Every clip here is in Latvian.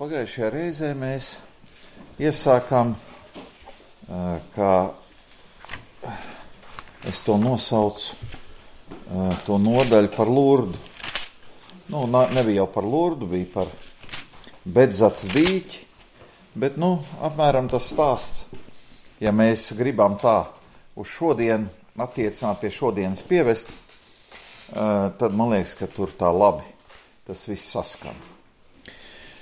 Pagājušajā reizē mēs iesākām, kā es to nosaucu, to nodaļu par Lurdu. Nebija jau par Lurdu, bija par Bedzats dīķi, bet, apmēram tas stāsts, ja mēs gribam tā uz šodien attiecināt pie šodienas pievest, tad man liekas, ka tur tā labi tas viss saskan.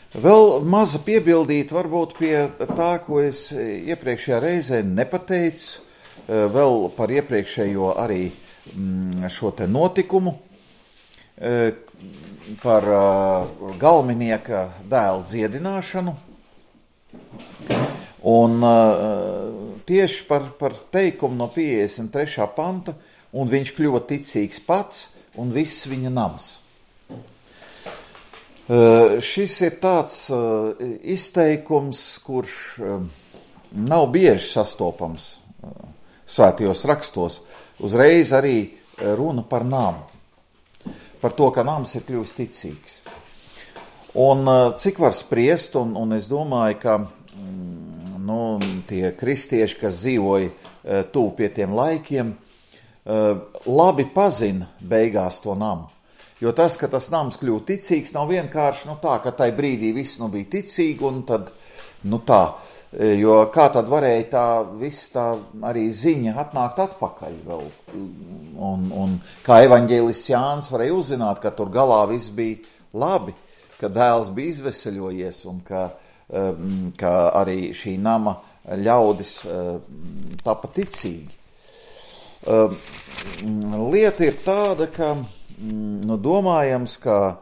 Vēl maza piebildīt varbūt pie tā, ko es iepriekšējā reizē nepateicu, vēl par iepriekšējo arī šo te notikumu, par galminieka dēla dziedināšanu. Un tieši par teikumu no 53. panta, un viņš kļuva ticīgs pats un viss viņa nams. Šis ir tāds izteikums, kurš nav bieži sastopams svētajos rakstos. Uzreiz arī runa par namu, par to, ka nams ir kļuvis ticīgs. Un cik var spriest, un es domāju, ka tie kristieši, kas dzīvoja tuvu pie tiem laikiem, labi pazina beigās to namu. Jo tas, ka tas nams kļūst ticīgs, nav vienkārši tā, ka tai brīdī viss bija ticīgi, un tad, tā, jo kā tad varēja tā viss tā arī ziņa atnākt atpakaļ vēl, un kā evaņģēlists Jānis varēja uzzināt, ka tur galā viss bija labi, ka dēls bija izveseļojies, un ka arī šī nama ļaudis tapa ticīgi. Lieta ir tāda, ka domājams, ka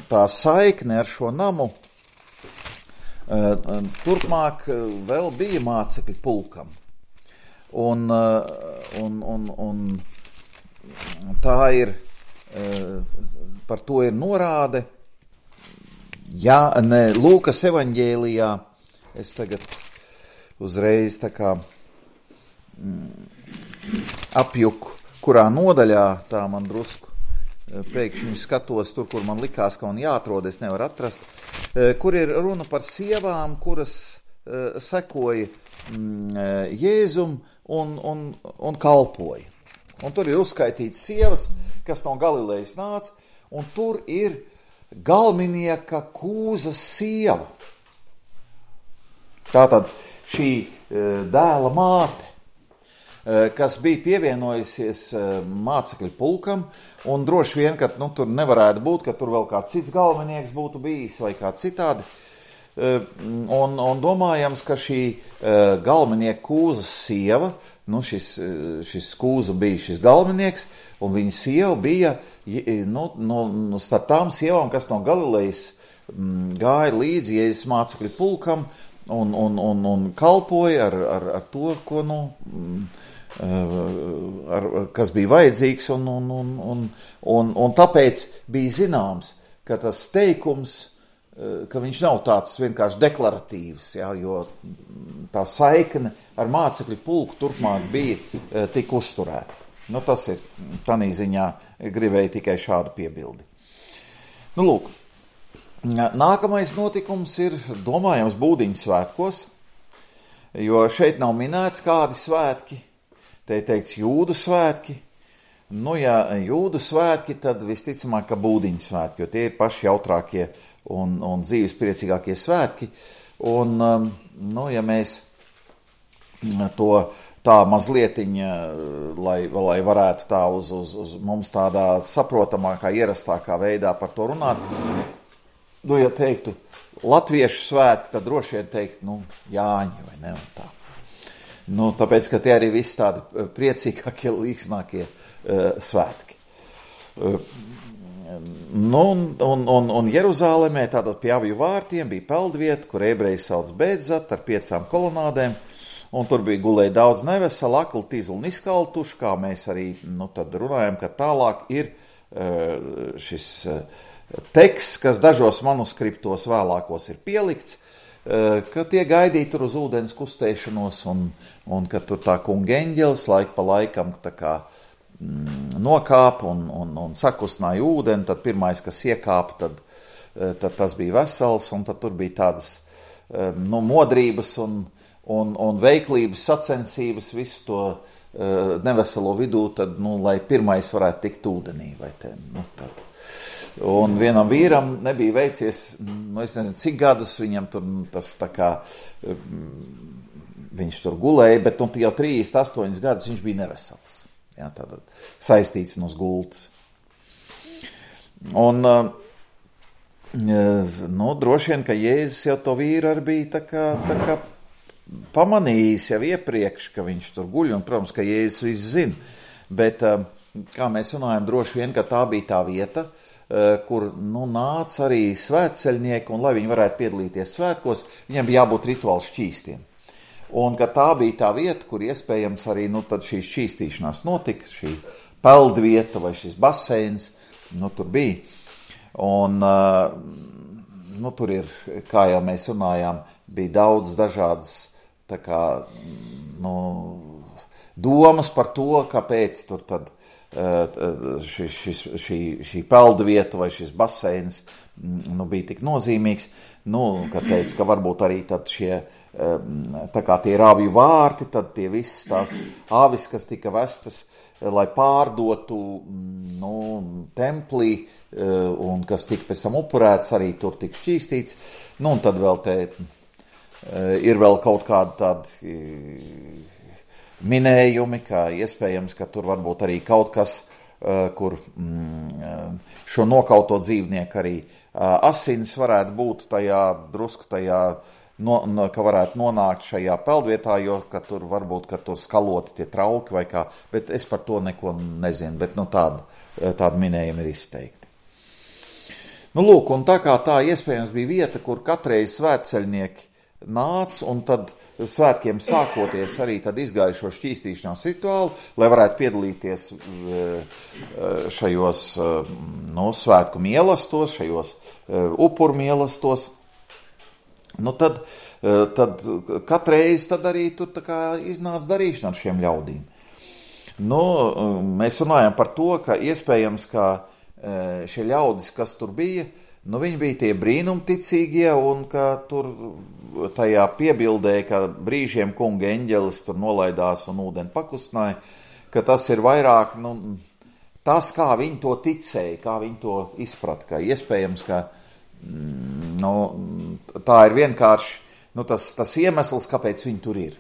tā saikne ar šo namu turpmāk vēl bija mācekļu pulkam. Un tā ir, par to ir norāde, Lūkas evaņģēlijā, es tagad uzreiz tā kā apjuku, kurā nodaļā, tā man drusku pēkšņi skatos tur, kur man likās, ka man jāatrod, es nevaru atrast, kur ir runa par sievām, kuras sekoja Jēzum un kalpoja. Un tur ir uzskaitīts sievas, kas no Galilejas nāca, un tur ir galminieka Kūzas sieva. Tātad šī dēla māte, kas bija pievienojusies mācekļu pulkam, un droši vien, ka tur nevarētu būt, ka tur vēl kāds cits galvenieks būtu bijis vai kā citādi. Un domājams, ka šī galvenieka Kūzas sieva, šis Kūza bija šis galvenieks, un viņa sieva bija starp tām sievām, kas no Galilejas gāja līdzi Jēzus mācekļu pulkam un kalpoja ar to, ko kas bija vajadzīgs, un tāpēc bija zināms, ka tas teikums, ka viņš nav tāds vienkārši deklaratīvs, jo tā saikne ar mācekļu pulku turpmāk bija tik uzturēta. Tas ir, tanī ziņā gribēju tikai šādu piebildi. Lūk, nākamais notikums ir, domājams, Būdiņu svētkos, jo šeit nav minēts kādi svētki. Te ir teikts jūdu svētki. Ja jūdu svētki, tad visticamāk, ka Būdiņu svētki, jo tie ir paši jautrākie un dzīves priecīgākie svētki. Un, ja mēs to tā mazlietiņa, lai varētu tā uz mums tādā saprotamākā, ierastākā veidā par to runāt, ja teiktu latviešu svētki, tad droši vien teikt, Jāņi vai ne, un tā. Tāpēc, ka tie arī visi tādi priecīgākie, līksmākie svētki. Un Jeruzālemē, tātad pie avju vārtiem, bija peldvieta, kur ebreji sauc Bedzat ar 5 kolonādēm, un tur bija gulēja daudz nevesela, akli, tizli un izkaltuši, kā mēs arī tad runājam, ka tālāk ir šis teksts, kas dažos manuskriptos vēlākos ir pielikts, ka tie gaidīja tur uz ūdens kustēšanos, un ka tur tā kunga eņģelis laik pa laikam tā kā nokāpa un sakustināja ūdeni, tad pirmais, kas iekāpa, tad tad tas bija vesels, un tad tur bija tādas modrības un veiklības sacensības, visu to neveselo vidū, tad, lai pirmais varētu tikt ūdenī, vai te, tad. Un vienam vīram nebija veicies, es nezinu, cik gadus viņam tur tas tā kā, viņš tur gulēja, bet jau 38 gadus viņš bija nevesels. Jā, tātad saistīts no gultas. Un, droši vien, ka Jēzus jau to vīru arī bija tā kā pamanījis jau iepriekš, ka viņš tur guļ, un, protams, ka Jēzus viss zina. Bet, kā mēs runājam, droši vien, ka tā bija tā vieta, kur nāca arī svētceļnieki, un lai viņi varētu piedalīties svētkos, viņiem bija jābūt rituāli šķīstiem. Un ka tā bija tā vieta, kur iespējams arī tad šī šķīstīšanās notika, šī peldvieta vai šis baseins, tur bija. Un tur ir, kā jau mēs runājām, bija daudz dažādas tā kā, domas par to, kāpēc tur tad šī peldvieta vai šis baseins bija tik nozīmīgs, ka teica, ka varbūt arī tad šie, tā kā tie rāvju vārti, tad tie visas tās āvis, kas tika vestas, lai pārdotu, templī, un kas tika pēc tam upurēts, arī tur tika šķīstīts, un tad vēl te ir vēl kaut kādi tādi minējumi, ka iespējams, ka tur varbūt arī kaut kas, kur šo nokauto dzīvnieku arī asins varētu būt drusku tajā, ka varētu nonākt šajā peldvietā, jo ka tur varbūt, ka tur skaloti tie trauki vai kā, bet es par to neko nezinu, bet tādi minējumi ir izteikti. Lūk, un tā kā tā iespējams bija vieta, kur katreiz svētceļnieki nāca, un tad svētkiem sākoties arī tad izgāja šo šķīstīšanās rituālu, lai varētu piedalīties šajos svētku mīlestos, šajos upuru mīlestos. Tad katreiz tad arī tur tā kā iznāca darīšana ar šiem ļaudīm. Mēs runājam par to, ka iespējams, ka šie ļaudis, kas tur bija, viņi bija tie brīnumticīgie, un ka tur tajā piebildēja, ka brīžiem kunga eņģelis tur nolaidās un ūdeni pakustināja, ka tas ir vairāk, tas, kā viņi to ticēja, kā viņi to izprata, ka iespējams, ka tā ir vienkārši tas iemesls, kāpēc viņi tur ir.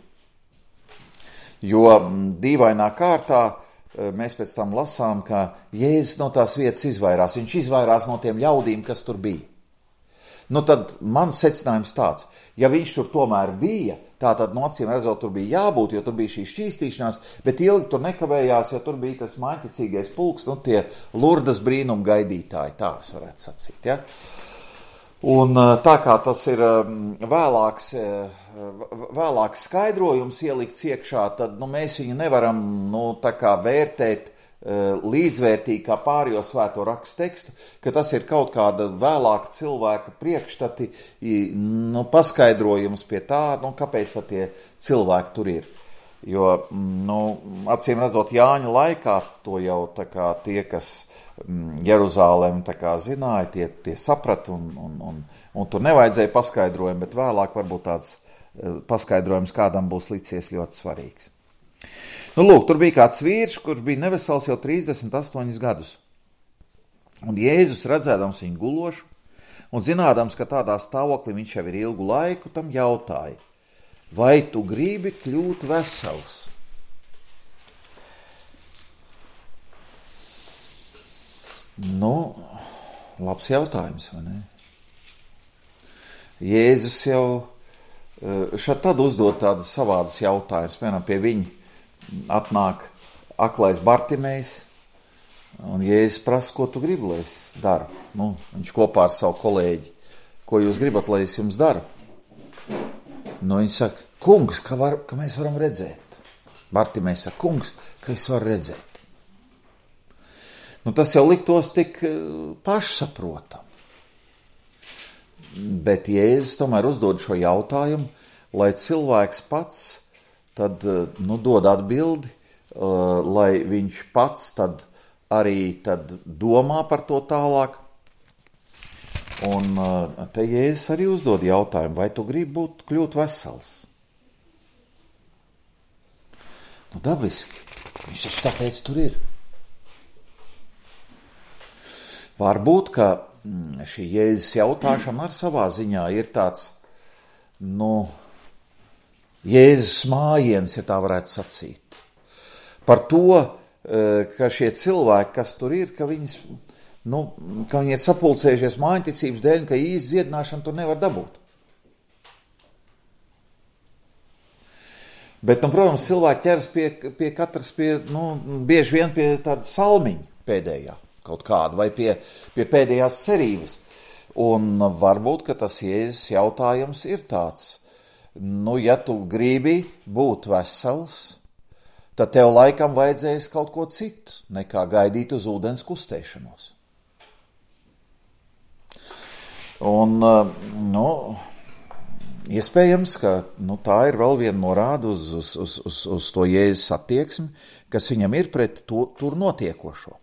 Jo dīvainā kārtā mēs pēc tam lasām, ka Jēzus no tās vietas izvairās. Viņš izvairās no tiem ļaudīm, kas tur bija. Tad mans secinājums tāds, ja viņš tur tomēr bija, tātad acīm redzot, tur bija jābūt, jo tur bija šī šķīstīšanās, bet ilgi tur nekavējās, jo tur bija tas maiticīgais pulks, tie Lurdas brīnumu gaidītāji, tā es varētu sacīt, ja? Un tā kā tas ir vēlāks skaidrojums ielikts iekšā, tad mēs viņu nevaram tā kā vērtēt līdzvērtīgi kā pārējo svēto rakstu tekstu, ka tas ir kaut kāda vēlāka cilvēka priekšstati, paskaidrojums pie tā, kāpēc tad tie cilvēki tur ir. Jo, acīm redzot, Jāņa laikā to jau tā kā tie, kas Jeruzālēm tā kā zināja, tie saprata un tur nevajadzēja paskaidrojumu, bet vēlāk varbūt tāds paskaidrojums kādam būs licies ļoti svarīgs. Lūk, tur bija kāds vīrs, kurš bija nevesels jau 38 gadus. Un Jēzus redzēdams viņu gulošu un zinādams, ka tādā stāvoklī viņš jau ir ilgu laiku, tam jautāja, vai tu gribi kļūt vesels? Labs jautājums, vai ne? Jēzus jau šad tad uzdod tādas savādas jautājumas. Piemēram, pie viņa atnāk aklais Bartimejs, un Jēzus prasa, ko tu gribi, lai es daru. Viņš kopā ar savu kolēģi, ko jūs gribat, lai es jums daru? Viņš saka, kungs, ka mēs varam redzēt. Bartimejs saka, kungs, ka es varu redzēt. Tas jau liktos tik pašsaprotam. Bet Jēzus tomēr uzdod šo jautājumu, lai cilvēks pats tad dod atbildi, lai viņš pats tad arī tad domā par to tālāk. Un te Jēzus arī uzdod jautājumu, vai tu gribi kļūt vesels? Nu, dabiski. Viņš taču tāpēc tur ir. Varbūt, ka šī Jēzus jautāšana ar savā ziņā ir tāds, Jēzus mājiens, ja tā varētu sacīt. Par to, ka šie cilvēki, kas tur ir, ka viņi ir sapulcējušies mājiņticības dēļ, ka īsti dziedināšanu tur nevar dabūt. Bet, protams, cilvēki ķeras pie katras, bieži vien pie tāda salmiņa pēdējā kaut kāda, vai pie pēdējās cerības. Un varbūt, ka tas Jēzus jautājums ir tāds, ja tu gribi būt vesels, tad tev laikam vajadzēs kaut ko citu, nekā gaidīt uz ūdens kustēšanos. Un, iespējams, ka tā ir vēl viena norāda uz to Jēzus attieksmi, kas viņam ir pret tur notiekošo.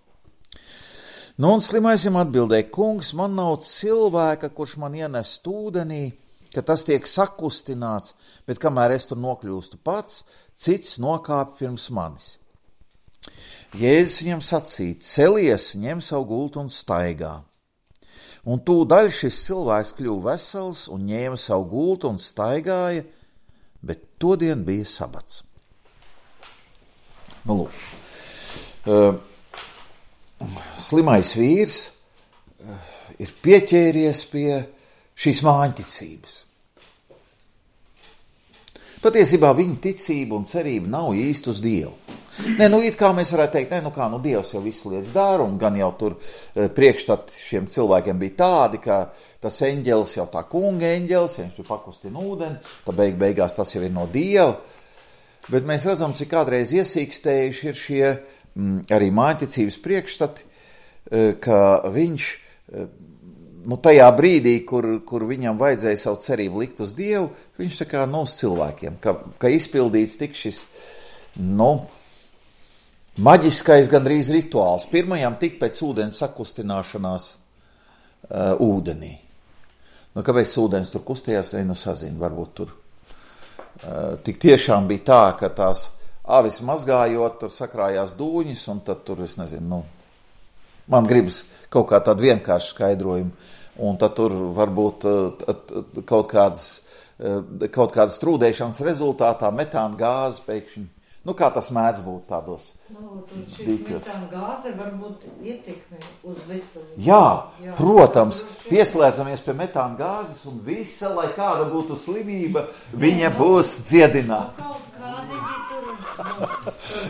Un slimais viņam atbildēja, kungs, man nav cilvēka, kurš man ienest ūdenī, ka tas tiek sakustināts, bet kamēr es tur nokļūstu pats, cits nokāpj pirms manis. Jēzus viņam sacīja, celies, ņem savu gultu un staigā. Un tūdaļ šis cilvēks kļuva vesels un ņēma savu gultu un staigāja, bet todien bija sabats. Slimais vīrs ir pieķēries pie šīs māņticības. Patiesībā viņa ticība un cerība nav īsti uz Dievu. It kā mēs varētu teikt, Dievs jau visas lietas dara, un gan jau tur priekšstati šiem cilvēkiem bija tādi, ka tas eņģelis jau tā kunga eņģelis, viņš tur pakustina ūdeni, tad beigās tas jau ir no Dieva. Bet mēs redzam, cik kādreiz iesīkstējuši ir šie arī māņticības priekšstati, ka viņš tajā brīdī, kur viņam vajadzēja savu cerību likt uz Dievu, viņš tā kā uz cilvēkiem, ka izpildīts tik šis, maģiskais gandrīz rituāls. Pirmajam tik pēc ūdens sakustināšanās ūdenī. Kāpēc ūdens tur kustījās, sazinu, varbūt tur tik tiešām bija tā, ka tās avis mazgājot, tur sakrājās dūņas, un tad tur, es nezinu, man gribas kaut kā tādu vienkāršu skaidrojumu, un tad tur varbūt kaut kādas trūdēšanas rezultātā metāna gāze pēkšņi, kā tas mēdz būt tādos šis metāna gāze varbūt ietekmi uz veselību. Jā, protams, pieslēdzamies pie metāna gāzes, un visa, lai kāda būtu slimība, viņa būs dziedināta.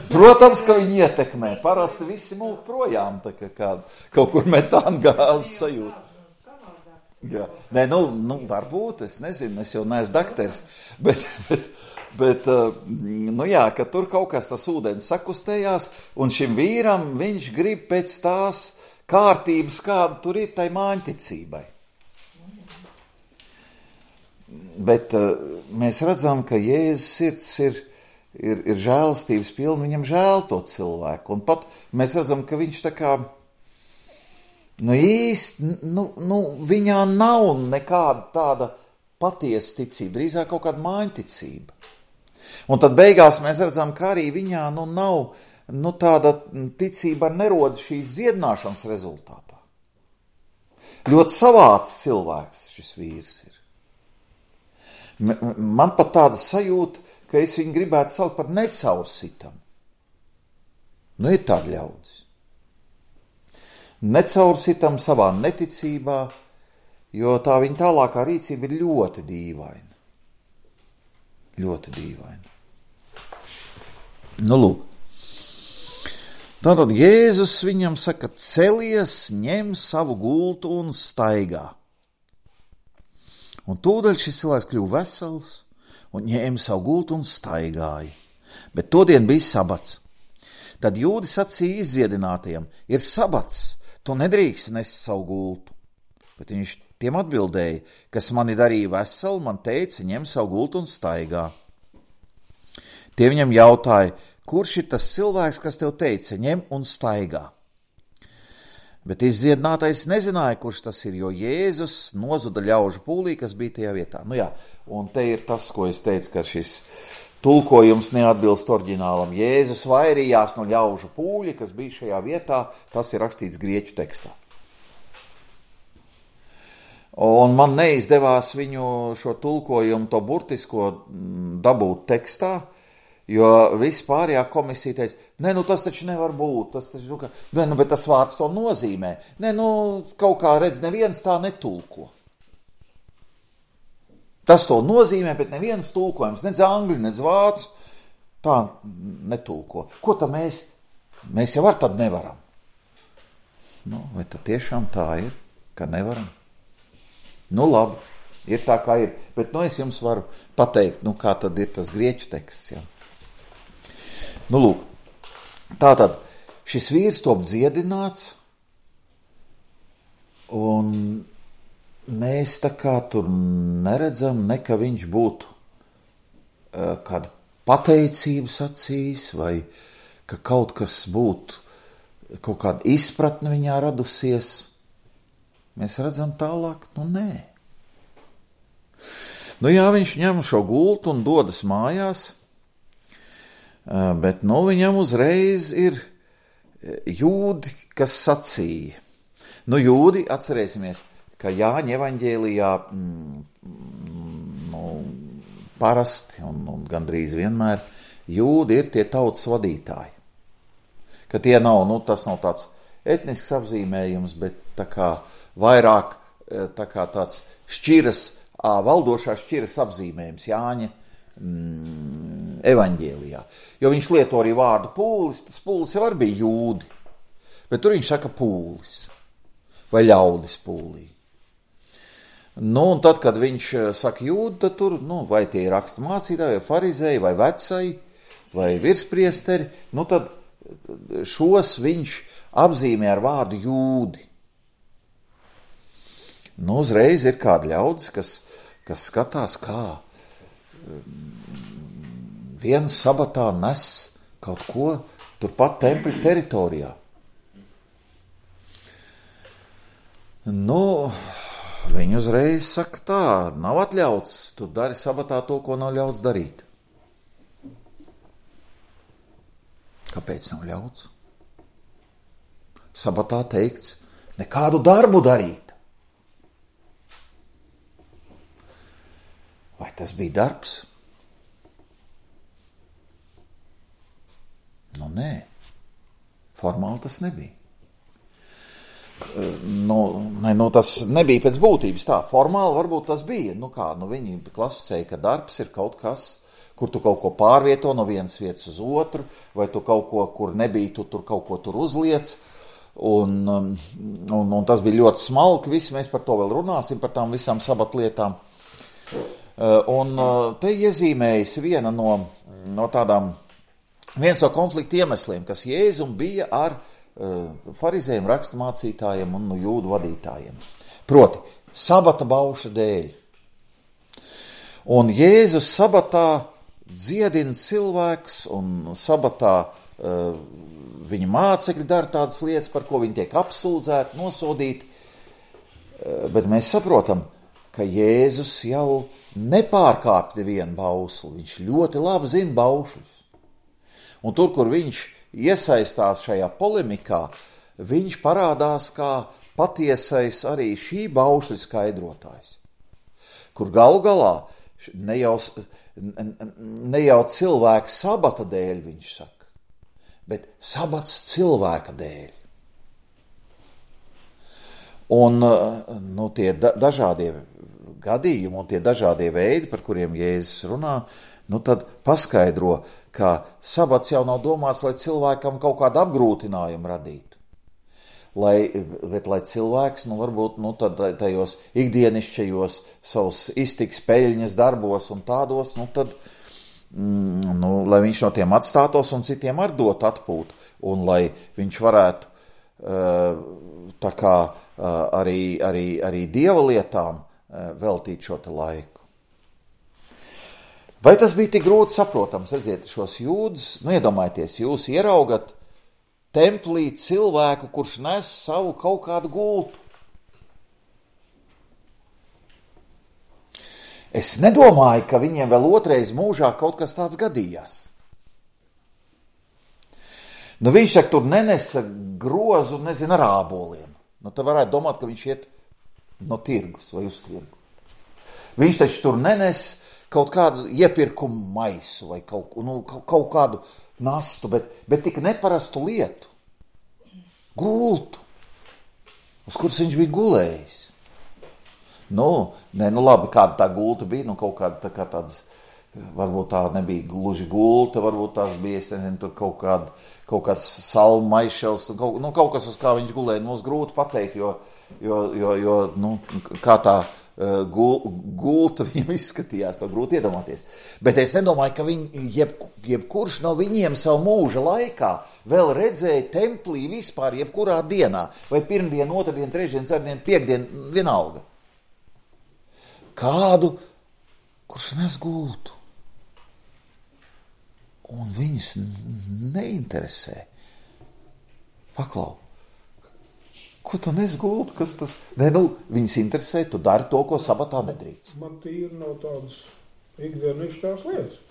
Protams, ka viņi ietekmē. Parasti visi mūk projām, tā kā kaut kur metāna gāzes sajūt. Jā. Varbūt, es nezinu, es jau neesmu dakteris, bet ka tur kaut kas tas ūdens sakustējās, un šim vīram viņš grib pēc tās kārtības, kāda tur ir tai māņticībai. Bet mēs redzam, ka Jēzus sirds ir žēlastības pilna, viņam žēl to cilvēku, un pat mēs redzam, ka viņš tā kā viņā nav nekāda tāda patiesa ticība, drīzāk kaut kāda māņticība. Un tad beigās mēs redzam, ka arī viņā nav tāda ticība neroda šīs dziedināšanas rezultātā. Ļoti savāds cilvēks šis vīrs ir. Man pat tāda sajūta, ka es viņu gribētu saukt par necaursitam. Ir tādi ļaudis. Necaursitam savā neticībā, jo tā viņa tālākā rīcība ir ļoti dīvaina. Ļoti dīvaina. Lūk. Tātad Jēzus viņam saka, celies, ņem savu gultu un staigā. Un tūdaļ šis cilvēks kļuva vesels un ņēma savu gultu un staigāja. Bet todien bija sabats. Tad jūdi sacīja izdziedinātajiem, ir sabats, tu nedrīkst nest savu gultu. Bet viņš tiem atbildēja, kas mani darīja veselu, man teica, ņem savu gultu un staigā. Tie viņam jautāja, kurš ir tas cilvēks, kas tev teica, ņem un staigā? Bet izdziedinātais nezināja, kurš tas ir, jo Jēzus nozuda ļaužu pūlī, kas bija tajā vietā. Nu jā, un te ir tas, ko es teicu, ka šis tulkojums neatbilst oriģinālam. Jēzus vairījās no ļaužu pūļa, kas bija šajā vietā, tas ir rakstīts grieķu tekstā. Un man neizdevās viņu šo tulkojumu, to burtisko dabūt tekstā, jo viss pārējā komisija teica, tas taču nevar būt, tas taču, bet tas vārds to nozīmē. Kaut kā redz, neviens tā netulko. Tas to nozīmē, bet neviens tulkojums, nec angļu, nec vācu, tā netulko. Ko tad mēs jau tad nevaram? Vai tad tiešām tā ir, ka nevaram? Labi, ir tā kā ir, bet es jums varu pateikt, kā tad ir tas grieķu teksts, ja? Lūk, tātad šis vīrs top dziedināts, un mēs tā kā tur neredzam, ka viņš būtu kādu pateicību sacījis, vai ka kaut kas būtu, kaut kāda izpratne viņā radusies. Mēs redzam tālāk, nē. Jā, viņš ņem šo gultu un dodas mājās, bet viņam uzreiz ir jūdi, kas sacīja. Jūdi, atcerēsimies, ka Jāņa evaņģēlijā parasti un gandrīz vienmēr jūdi ir tie tautas vadītāji. Ka tie nav, tas nav tāds etnisks apzīmējums, bet tā kā vairāk tā kā tāds valdošās šķiras apzīmējums Jāņa evaņģēlijā. Jo viņš lieto arī vārdu pūlis, tas pūlis jau arī bija jūdi, bet tur viņš saka pūlis vai ļaudis pūlī. Un tad, kad viņš saka jūdi, tad tur, vai tie ir rakstu mācītāji, vai farizēji, vai vecai, vai virspriesteri, tad šos viņš apzīmē ar vārdu jūdi. Uzreiz ir kādi ļaudis, kas skatās, kā viens sabatā nes kaut ko turpat tempļa teritorijā. Viņi uzreiz saka tā, nav atļauts, tu dari sabatā to, ko nav ļauts darīt. Kāpēc nav ļauts? Sabatā teikts, nekādu darbu darīt. Vai tas bija darbs? Nē, formāli tas nebija. Tas nebija pēc būtības tā. Formāli varbūt tas bija. Viņi klasificēja, ka darbs ir kaut kas, kur tu kaut ko pārvieto no vienas vietas uz otru, vai tu kaut ko, kur nebija, tu tur kaut ko tur uzliec. Un tas bija ļoti smalki. Visi mēs par to vēl runāsim, par tām visām sabatlietām. Te iezīmējas viens no konflikta iemesliem, kas Jēzum bija ar farizējiem, raksturmācītājiem un jūdu vadītājiem. Proti, sabata bauša dēļ. Un Jēzus sabatā dziedina cilvēks, un sabatā viņa mācekļi dara tādas lietas, par ko viņi tiek apsūdzēti, nosodīti. Bet mēs saprotam, ka Jēzus jau nepārkāpj nevienu bausli. Viņš ļoti labi zina baušļus. Un tur, kur viņš iesaistās šajā polemikā, viņš parādās kā patiesais arī šī baušļa skaidrotājs. Kur galu galā ne jau cilvēka sabata dēļ viņš saka, bet sabats cilvēka dēļ. Un tie dažādie gadījumi un tie dažādie veidi, par kuriem Jēzus runā, tad paskaidro, ka sabats jau nav domāts, lai cilvēkam kaut kādu apgrūtinājumu radītu. Bet lai cilvēks, varbūt, tajos ikdienišķajos savus iztiks peļņas darbos un tādos, lai viņš no tiem atstātos un citiem ar dot atpūtu. Un lai viņš varētu arī dieva lietām veltīt šo te laiku. Vai tas bija tik grūti saprotams? Redziet, šos jūdus, iedomājieties, jūs ieraugat templī cilvēku, kurš nes savu kaut kādu gultu. Es nedomāju, ka viņiem vēl otrais mūžā kaut kas tāds gadījās. Nu, viņš saka, tur nenesa grozu, nezinu, ar āboliem. Nu, tad varētu domāt, ka viņš iet no tirgus vai uz tirgu. Viņš taču tur nenes kaut kādu iepirkumu maisu vai kaut kādu nastu, bet tik neparastu lietu. Gultu, uz kuras viņš bija gulējis. Nu labi, kāda tā gulta bija, kaut kāda tā kā tāds, varbūt tā nebija gluži gulta, varbūt tās bija, es nezinu, tur kaut kāds salmu maišels, kaut kas, uz kā viņš gulēja, mums grūti pateikt, jo kā tā gulta viņam izskatījās, to grūti iedomāties. Bet es nedomāju, ka jebkurš no viņiem savu mūža laikā vēl redzēja templī vispār jebkurā dienā, vai pirmdien, otrdien, trešdien, ceturtdien, piekdien, vienalga. Kādu, kurš nes gultu. Un viņus neinteresē. Paklau, ko tu nes gultu? Kas tas? Viņus interesē, tu dari to, ko sabatā nedrīkst. Man tīri nav tādas ikdienišķās lietas.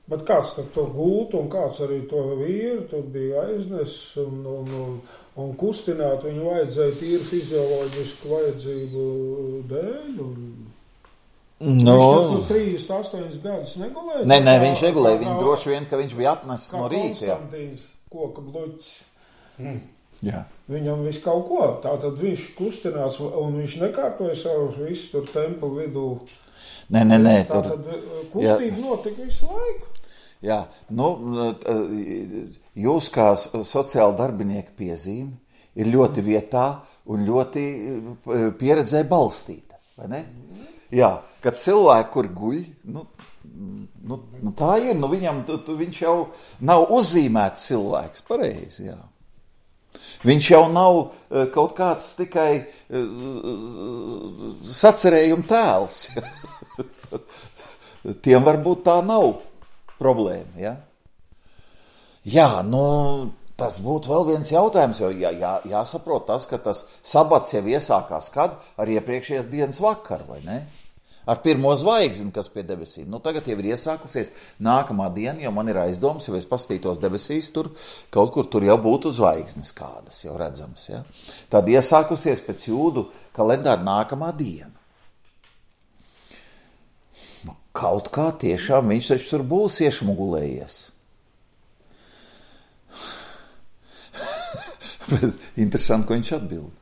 Bet kāds tad to gultu un kāds arī to vīru, tur bija aiznes un kustināt viņu vajadzēja tīri fizioloģisku vajadzību dēļ Viņš tur 38 gadus negulēja? Nē, viņš negulēja. Viņš droši vien, ka viņš bija atnesis no rīta. Kā Konstantīns koka bluķis. Jā. Viņam viss kaut ko. Tātad viņš kustināts un viņš nekārtoja savu visu tur templu vidū. Nē. Tātad kustība notika visu laiku. Jā, jūs kā sociāla darbinieka piezīme ir ļoti vietā un ļoti pieredzē balstīta, vai ne? Jā, kad cilvēki, kur guļ, tā ir, viņš jau nav uzzīmēts cilvēks, pareizi, jā. Viņš jau nav kaut kāds tikai sacerējuma tēls. Tiem varbūt tā nav problēma, ja? Jā, tas būtu vēl viens jautājums, jo jāsaprot tas, ka tas sabats jau iesākās kad? Ar iepriekšējās dienas vakaru, vai ne? Ar pirmo zvaigzni, kas pie debesīm. Tagad jau ir iesākusies nākamā diena, jo man ir aizdoms, ja es pastītos debesīs, tur kaut kur tur jau būtu zvaigznes kādas, jau redzams, ja? Tad iesākusies pēc jūdu kalendāra nākamā diena. Kaut kā tiešām viņš taču tur būs iešmugulējies. Bet interesanti, ko viņš atbild.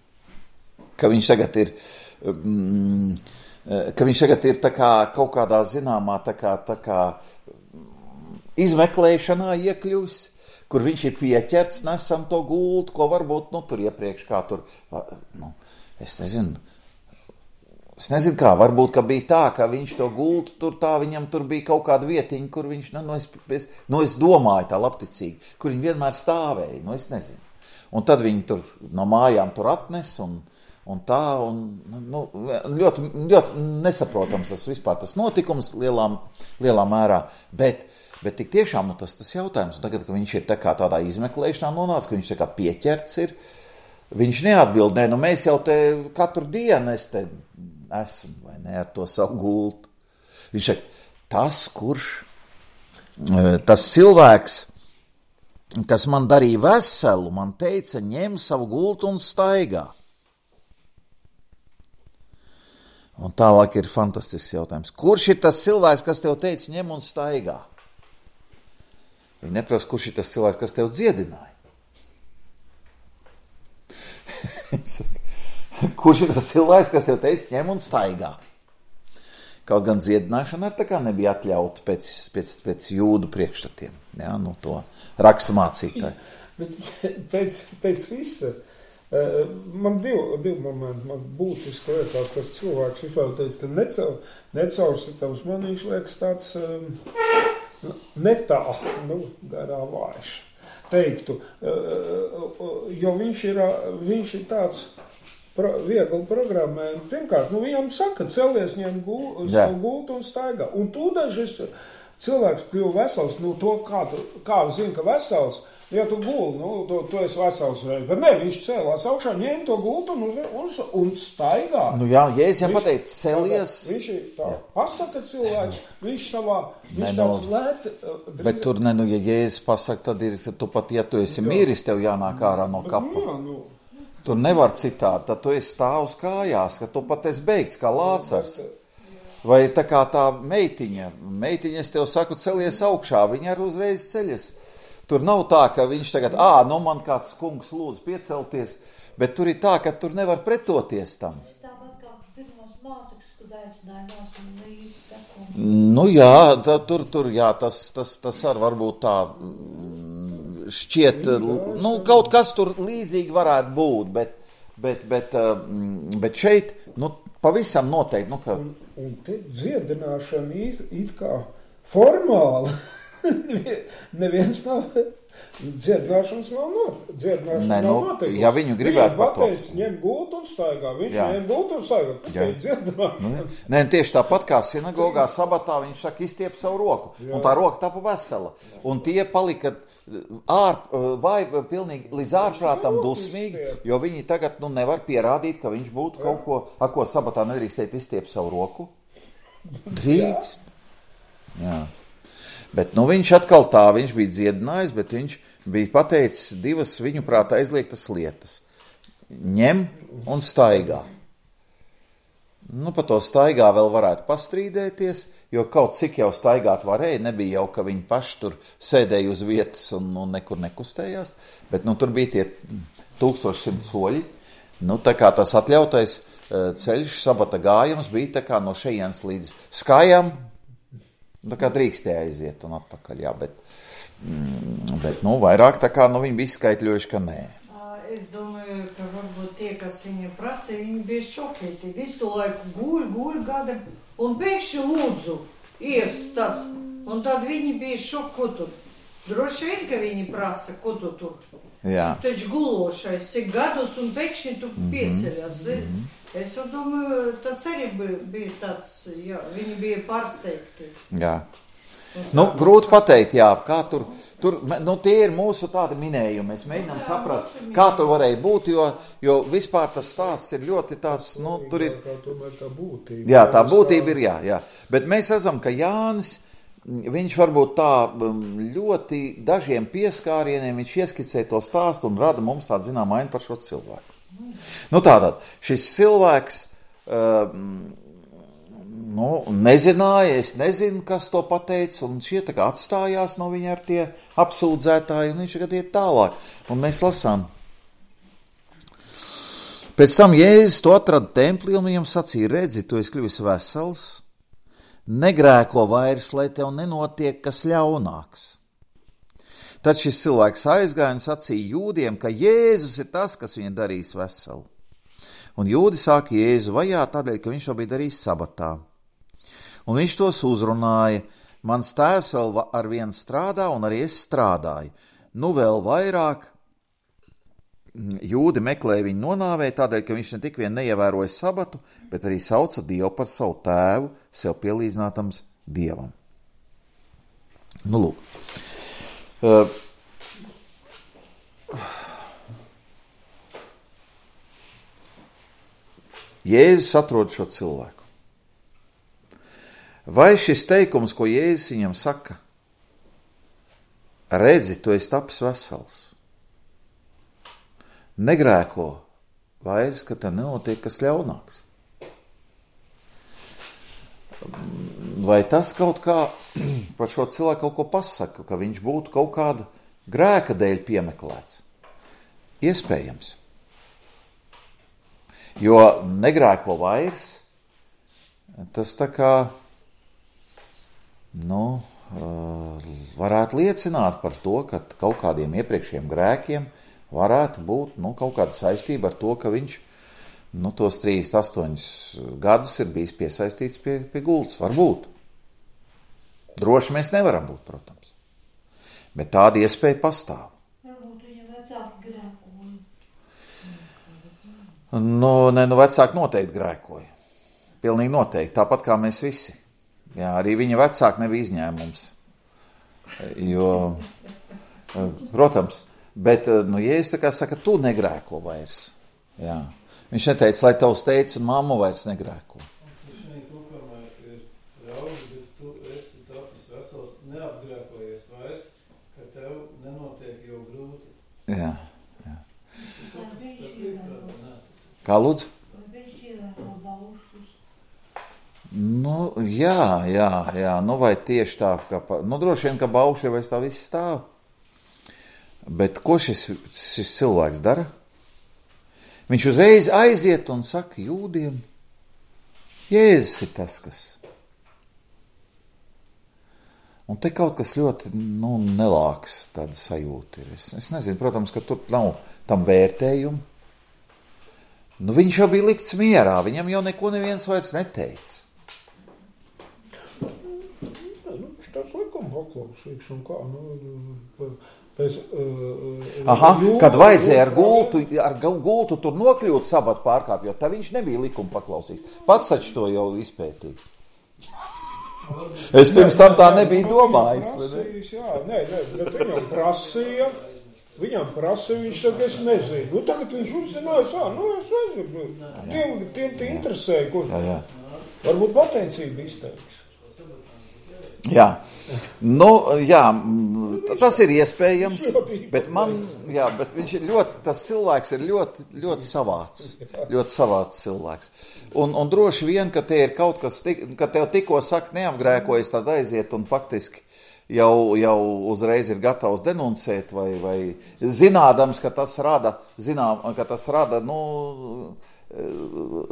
Ka viņš tagad ir tā kā kaut kādā zināmā tā kā izmeklēšanā iekļuvis, kur viņš ir pieķerts, nesam to gultu, ko varbūt, tur iepriekš kā tur, es nezinu kā, varbūt, ka bija tā, ka viņš to gultu, viņam tur bija kaut kāda vietiņa, kur viņš, es domāju tā labticīgi, kur viņi vienmēr stāvēja, es nezinu. Un tad viņi tur no mājām tur atnes un tā, ļoti, ļoti nesaprotams tas vispār tas notikums lielā mērā, bet tik tiešām tas jautājums, un tagad, ka viņš ir tā kā tādā izmeklēšanā nonāca, ka viņš tā kā pieķerts ir, viņš neatbild, mēs jau te katru dienu esmu, vai ne, ar to savu gultu. Viņš saka, tas cilvēks, kas man darīja veselu, man teica, ņem savu gultu un staigā. Un tālāk ir fantastisks jautājums. Kurš ir tas cilvēks, kas tev teica, ņem un staigā? Viņi neprasa, kurš ir tas cilvēks, kas tev dziedināja? Kurš ir tas cilvēks, kas tev teica, ņem un staigā? Kaut gan dziedināšana tā kā nebija atļauta pēc jūdu priekšstatiem. Jā, to rakstu mācītāji. Bet pēc visa, man divi momenti, man būtiski liekas, tas cilvēks vispār teica, ka necaursitams man viņš liekas tāds netā, garā vājš, teiktu, jo viņš ir tāds viegli programmējumu. Pirmkārt, viņam saka, celies, ņem gultu un staigā. Un tūdaļ šis cilvēks kļuva vesels, to kā zina, ka vesels, Ja tu guli, tu esi vesels reiz. Bet ne, viņš cēlās augšā, ņēma to gultu un staigā. Nu jā, Jēzus pateica, celies. Viņš tā pasaka cilvēks, viņš tāds lēt. Bet tur ja Jēzus pasaka, tad tu pat, ja tu esi miris, tev jānāk ārā no kapa. Tur nevar citādi, tad tu esi stāv uz kājās, ka tu pat esi beigts kā Lācars. Vai tā kā tā meitiņa, es tev saku, celies augšā, viņa arī uzreiz ceļas. Tur nav tā, ka viņš tagad, man kāds kungs lūdzu piecelties, bet tur ir tā, ka tur nevar pretoties tam. Tāpat kā pirmos mācekļus, kad aicinājumās un līdzi seko. Nu jā, tur jā, tas arī varbūt tā šķiet, kaut kas tur līdzīgi varētu būt, bet šeit, pavisam noteikti, ka... Un te dziedināšana it kā formāli. Neviens nav, dziedināšanas nav noteikti. Ja viņu gribētu pateikt, ņem gultu un staigā, viņš ņem gultu un staigā, dziedināšana. Nē, tieši tāpat kā sinagogā sabatā, viņš saka, izstiep savu roku, un tā roka tapa vesela, un tie palika pilnīgi līdz ārprātam dusmīgi, jo viņi tagad nevar pierādīt, ka viņš būtu kaut ko sabatā nedrīkstēt izstiep savu roku. Drīkst. Jā. Bet viņš atkal viņš bija dziedinājis, bet viņš bija pateicis divas viņu prātā aizliegtas lietas. Ņem un staigā. Par to staigā vēl varētu pastrīdēties, jo kaut cik jau staigāt varēja, nebija jau, ka viņi paši tur sēdēja uz vietas un nekur nekustējās, bet tur bija tie 1100 soļi. Tā kā tas atļautais ceļš, sabata gājums bija tā kā no šejienes līdz skājām, tā kā drīkstēja aiziet un atpakaļ, jā, bet vairāk tā kā viņi bija izskaitļojuši, ka nē. Es domāju, ka varbūt tie, kas viņiem prasa, viņi bija šokēti. Visu laiku guļ gada un pēkšņi lūdzu ies tāds. Un tad viņi bija šokoti. Droši vien, ka viņi prasa, ko tu tur. Jā. Tu taču gulošais, cik gadus un pēkšņi tu pieceļas. Es domāju, tas arī bija tāds, jā, viņi bija pārsteigti. Jā. Grūti pateikt, jā, kā tur, tie ir mūsu tādi minējumi, mēs mēģinām saprast, kā tur varēja būt, jo vispār tas stāsts ir ļoti tāds, tur ir... Tā būtība. Jā, tā būtība ir, jā. Bet mēs redzam, ka Jānis, viņš varbūt tā ļoti dažiem pieskārieniem, viņš ieskicē to stāstu un rada mums tādu zinām ainu par šo cilvēku. Tātad, šis cilvēks nezināja, es nezinu, kas to pateica, un šie tā kā atstājās no viņa ar tie apsūdzētāji, un viņš tagad iet tālāk. Un mēs lasām. Pēc tam Jēzus to atrada templī, un viņam sacīja, redzi, tu esi kļuvis vesels, negrēko vairs, lai tev nenotiek kas ļaunāks. Tad šis cilvēks aizgāja un sacīja jūdiem, ka Jēzus ir tas, kas viņu darīs veselu. Un jūdi sāka Jēzu vajāt tādēļ, ka viņš to bija darījis sabatā. Un viņš tos uzrunāja, mans tēvs vēl ar vienu strādā, un arī es strādāju. Vēl vairāk jūdi meklēja viņu nonāvēt tādēļ, ka viņš ne tik vien neievēroja sabatu, bet arī sauca Dievu par savu tēvu, sev pielīdzinātams Dievam. Lūk. Jēzus atrod šo cilvēku. Vai šis teikums, ko Jēzus viņam saka, redzi, tu esi tapis vesels, negrēko vairs, ka tev nenotiek kas ļaunāks? Vai tas kaut kā par šo cilvēku kaut ko pasaka, ka viņš būtu kaut kāda grēka dēļ piemeklēts? Iespējams. Jo negrēko vairs, tas tā kā, varētu liecināt par to, ka kaut kādiem iepriekšējiem grēkiem varētu būt, kaut kāda saistība ar to, ka viņš tos 38 gadus ir bijis piesaistīts pie gultas. Varbūt. Droši mēs nevaram būt, protams. Bet tāda iespēja pastāv. Varbūt viņa vecāki grēkoja. Vecāki noteikti grēkoja. Pilnīgi noteikti. Tāpat kā mēs visi. Jā, arī viņa vecāki nebija izņēmums. Protams, bet, Jēzus tā kā saka, tu negrēko vairs. Jā. Viņš neteica, lai tavs teicis un mamma vairs negrēko. Viņš tūkamā ir raudz, bet tu esi tapis vesels, neapgrēkojies vairs, ka tev nenotiek jau grūti. Jā. Kā lūdzu? Jā, vai tieši tā, droši vien, ka bauši ir vairs tā visi stāv. Bet ko šis cilvēks dara? Viņš uzreiz aiziet un saka jūdiem, Jēzus ir tas, kas. Un te kaut kas ļoti, nelāks tāda sajūta ir. Es nezinu, protams, ka tur nav tam vērtējumu. Viņš jau bija likts mierā, viņam jau neko neviens vairs neteica. Viņš tāds likuma paklausīgs un kā, kad vajadzēja ar gultu tur nokļūt sabatu pārkāpjot, tā viņš nebija likuma paklausīgs. Pats taču to jau izpētīja. Es pirms tam tā nebija domājis. Bet viņam prasīja, viņš saka, es nezinu. Tagad viņš uzzināja, es nezinu. Tiem te interesēja, kurš. Varbūt pateicība izteiks. Jā, tas ir iespējams, bet viņš ir tas cilvēks ir ļoti savāds cilvēks. Un droši vien, ka te ir kaut kas, ka tev tikko saka neapgrēkojas, tad aiziet un faktiski jau uzreiz ir gatavs denuncēt vai zinādams, ka tas rada,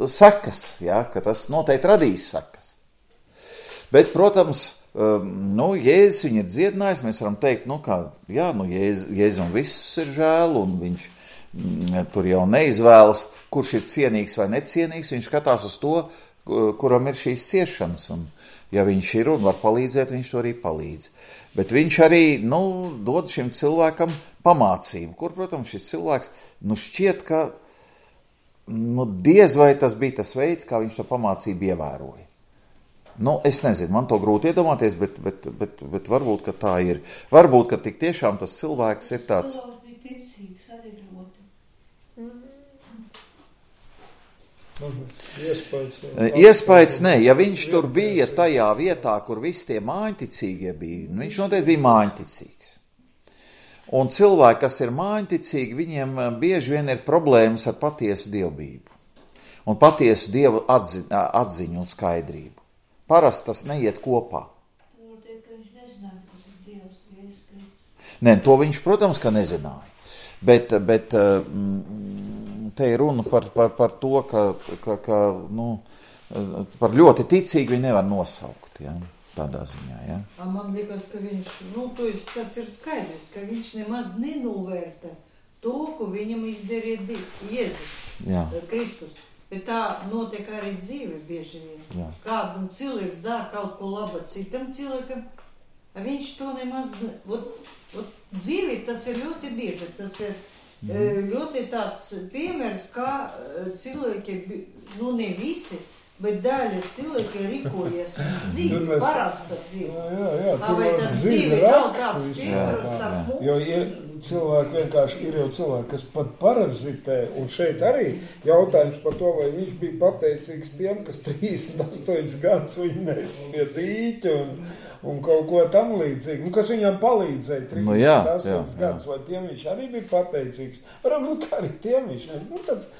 sekas, ka tas noteikti radīs sekas. Bet, protams, Jēzus viņu ir dziedinājis, mēs varam teikt, Jēzum viss ir žēl, un viņš tur jau neizvēlas, kurš ir cienīgs vai necienīgs, viņš skatās uz to, kuram ir šīs ciešanas, un ja viņš ir un var palīdzēt, viņš to arī palīdz. Bet viņš arī, dod šim cilvēkam pamācību, kur, protams, šis cilvēks, šķiet, ka, diez vai tas bija tas veids, kā viņš to pamācību ievēroja. Es nezinu, man to grūti iedomāties, bet varbūt, ka tā ir. Varbūt, ka tik tiešām tas cilvēks ir tāds. Iespējas, nē, ja viņš tur bija tajā vietā, kur visi tie māņticīgie bija, viņš noteikti bija māņticīgs. Un cilvēki, kas ir māņticīgi, viņiem bieži vien ir problēmas ar patiesu dievbību. Un patiesu dievu atziņu un skaidrību. Parasti tas neiet kopā. Nē, to viņš, protams, ka nezināja. Bet te ir runa par to, ka par ļoti ticīgi viņi nevar nosaukt, tādā ziņā, Man liekas, ka viņš, tas ir skaidrs, ka viņš nemaz nenovērta to, ko viņam izdarīja Jēzus, Kristus. Bet tā notiek arī dzīve bieži vien. Kādam cilvēks dara kaut ko labu citam cilvēkam, viņš to nemaz... Dzīve tas ir ļoti bieži, tas ir ļoti tāds piemērs, kā cilvēki, ne visi, bet daļa cilvēki rīkojas dzīve, parasta dzīve. Vai tas dzīve kaut kāds piemērs ar mums? Jo cilvēki vienkārši ir jau cilvēki, kas pat parazitē, un šeit arī jautājums par to, vai viņš bija pateicīgs tiem, kas 38 gadus viņa nes pie dīķa un kaut ko tam līdzīgi, kas viņam palīdzēja 38 gadus, vai tiem viņš arī bija pateicīgs. Varbūt kā arī tiem viņš tāds...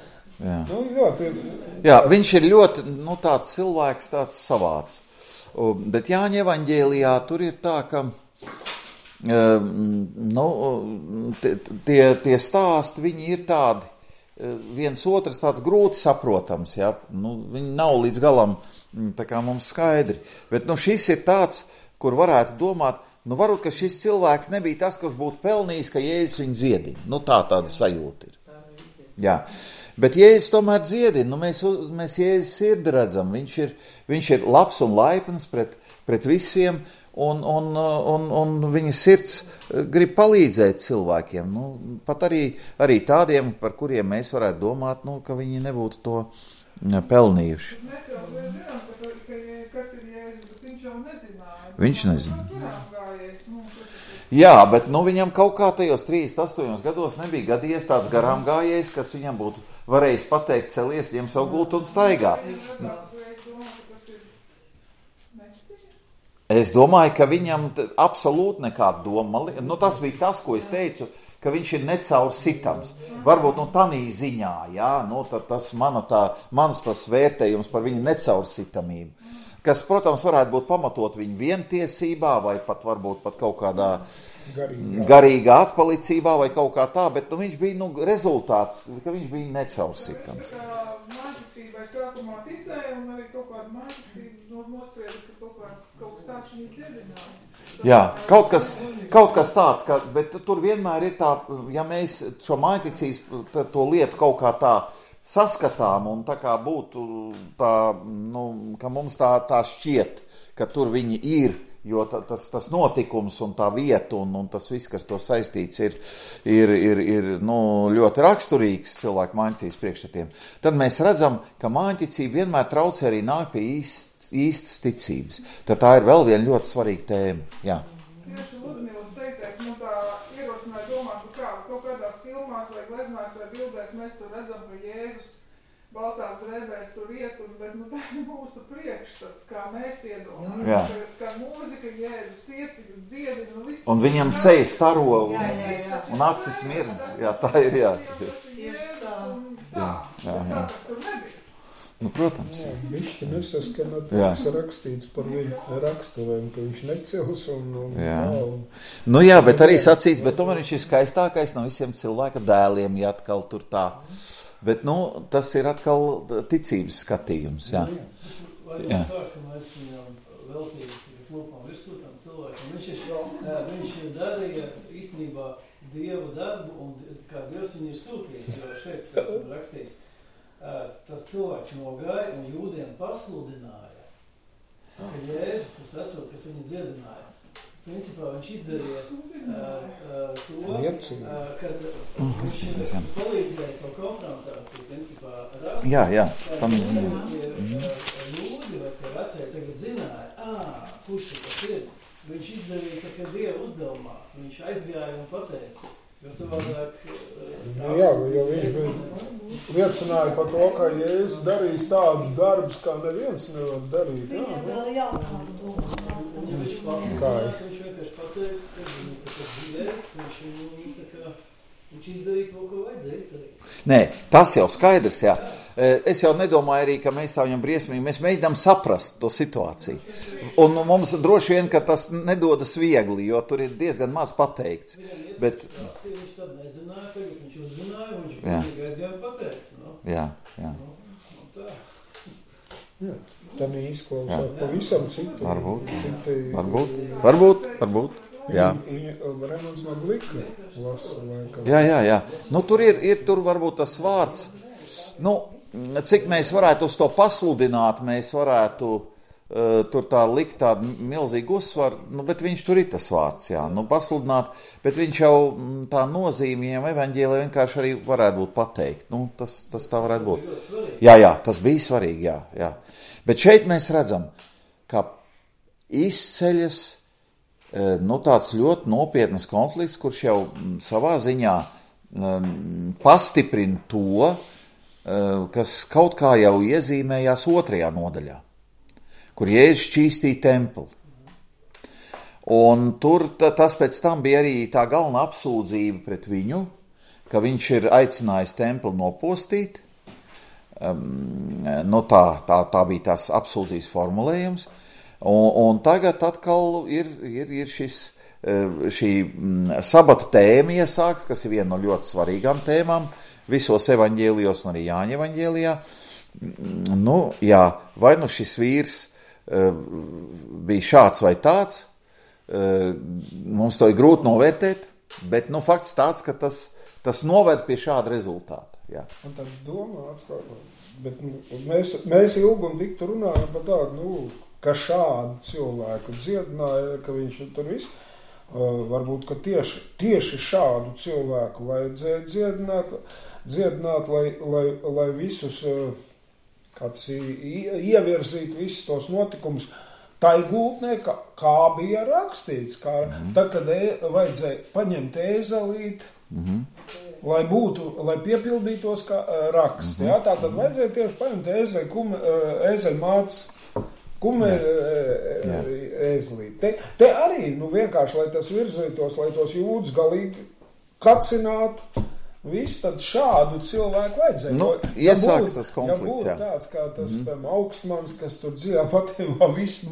viņš ir ļoti, tāds cilvēks, tāds savāds. Bet Jāņa evaņģēlijā tur ir tā, ka tie stāsti, viņi ir tādi, viens otrs tāds grūti saprotams, viņi nav līdz galam tā kā mums skaidri. Bet šis ir tāds, kur varētu domāt, varbūt, ka šis cilvēks nebija tas, kurš būtu pelnījis, ka Jēzus viņu dziedina. Tāda sajūta ir. Jā. Bet Jēzus tomēr dziedina, mēs Jēzus sirdi redzam, viņš ir labs un laipns pret visiem, un viņa sirds grib palīdzēt cilvēkiem, pat arī tādiem, par kuriem mēs varētu domāt, ka viņi nebūtu to pelnījuši. Mēs jau zinām, kas ir Jēzus, bet viņš jau nezināja. Viņš nezināja. Jā, bet viņam kaut kā tajos 38 gados nebija gadījies tāds garām gājējs, kas viņam būtu varējis pateikt, celies, ņem savu gultu un staigā. Es domāju, ka viņam absolūti nekāda doma. Tas bija tas, ko es teicu, ka viņš ir necaursitams. Varbūt tanī ziņā, jā, tas mans tas vērtējums par viņu necaursitamību. Kas, protams, varētu būt pamatot viņu vientiesībā vai pat varbūt pat kaut kādā garīgā atpalicībā vai kaut kā tā, bet viņš bija rezultāts, ka viņš bija necaursitams. Mācībai sākumā ticēja un arī kaut kāda mācība nosprieda, ka kaut kas tāds viņa dziedināja. Jā, kaut kas tāds, bet tur vienmēr ir tā, ja mēs šo mācības to lietu kaut kā tā saskatām un tā kā būtu tā, ka mums tā šķiet, ka tur viņi ir, jo tas notikums un tā vieta un tas viss, kas to saistīts, ir ļoti raksturīgs cilvēku māņķības priekšstatiem. Tad mēs redzam, ka māņķicība vienmēr traucē arī nāk pie īstas ticības. Tad tā ir vēl viena ļoti svarīga tēma. Jā. Tieši Ludmilas teiktais, tā ierosināja domāt, ka kaut kādās filmās vai gleznās vai bildēs mēs tur redzam, ka Jēzus baltās drēbēs tur iet, bet tas ir mūsu priekšstats, kā mēs iedomājamies. Tagad skan mūzika, Jēzus iet, dziedina, viss. Un viņam seja staro un acis mirdz. Jā, tā ir, jā. Jā. Protams. Bišķi nesaskana, tas rakstīts par viņu raksturiem, ka viņš necils un tā. Jā, bet arī sacīts, bet tomēr viņš ir skaistākais no visiem cilvēka dēliem, ja atkal tur tā. Bet, tas ir atkal ticības skatījums, jā. Jā. Tā, ka mēs viņam veltīgi klopām virsū tam cilvēkam. Viņš darīja īstenībā Dievu darbu, un kā Dievs viņu ir sūtījis, jo šeit, kas ir rakstīts, tas cilvēks nogāja un jūdiem pasludināja, ka Jēzus tas esot, kas viņu dziedināja. Principā viņš izdarīja to, kad viņš palīdzēja to konfrontāciju, principā rast. Jā, tam ir jūdi vai tie vecēji tagad zināja, kurš tas ir. Viņš izdarīja tā kā Dieva uzdevumā, viņš aizgāja un pateica, jo savādāk... jo viņš liecināja par to, ka Jēzus darīs tādus darbus, kā neviens nevar darīt. Viņš vienkārši pateica, ka viņš izdarīja to, ko vajadzēja izdarīt. Nē, tas jau skaidrs, jā. Es jau nedomāju arī, ka mēs tā viņam briesmīgi, mēs mēģinām saprast to situāciju. Un mums droši vien, ka tas nedodas viegli, jo tur ir diezgan maz pateikts. Bet... Viņš tad nezināja, tagad viņš uzzināja, un viņš aizgāja pateica. Jā. Jā. Tā izklausās pavisam citu. Varbūt. Jā. Remonds no Glika lasa. Jā. Tur varbūt tas vārds. Cik mēs varētu uz to pasludināt, mēs varētu tur tā likt tādu milzīgu uzsvaru, bet viņš tur ir tas vārds, jā. Pasludināt, bet viņš jau tā nozīmīgiem evaņģēlē vienkārši arī varētu būt pateikt. Tas tā varētu būt. Jā, tas bija svarīgi, jā. Bet šeit mēs redzam, ka izceļas tāds ļoti nopietnas konflikts, kurš jau savā ziņā pastiprina to, kas kaut kā jau iezīmējās 2. nodaļā, kur Jēzus šķīstīja templi. Un tur tas pēc tam bija arī tā galvenā apsūdzība pret viņu, ka viņš ir aicinājis templi nopostīt. Tā bija tās apsūdzības formulējums. Un tagad atkal ir šī sabata tēma iesāks, kas ir viena no ļoti svarīgām tēmām visos evaņģēlijos un arī Jāņa evaņģēlijā. Vai šis vīrs bija šāds vai tāds, mums to ir grūti novērtēt, bet fakts tāds, ka tas noved pie šāda rezultāta. Jā. Un tad domāts, bet mēs ilgi un dikti runājam par tādu, ka šādu cilvēku dziedināja, ka viņš tur viss, varbūt, ka tieši šādu cilvēku vajadzēja dziedināt, lai visus, ievirzīt visus tos notikumus Tā ir gultnē, kā bija rakstīts, tad, kad vajadzēja paņemt ēzelīti, lai piepildītos kā raksts. Ja? Tā tad vajadzēja tieši paņemt ēzeļmātes ēzelīti. Te arī, vienkārši, lai tas virzītos, lai tos jūdus galīgi kacinātu, viss tad šādu cilvēku vajadzēja. Iesāks tas konflikts, ja būtu tāds, kā tas augstmans, kas tur dzīvā patībā visu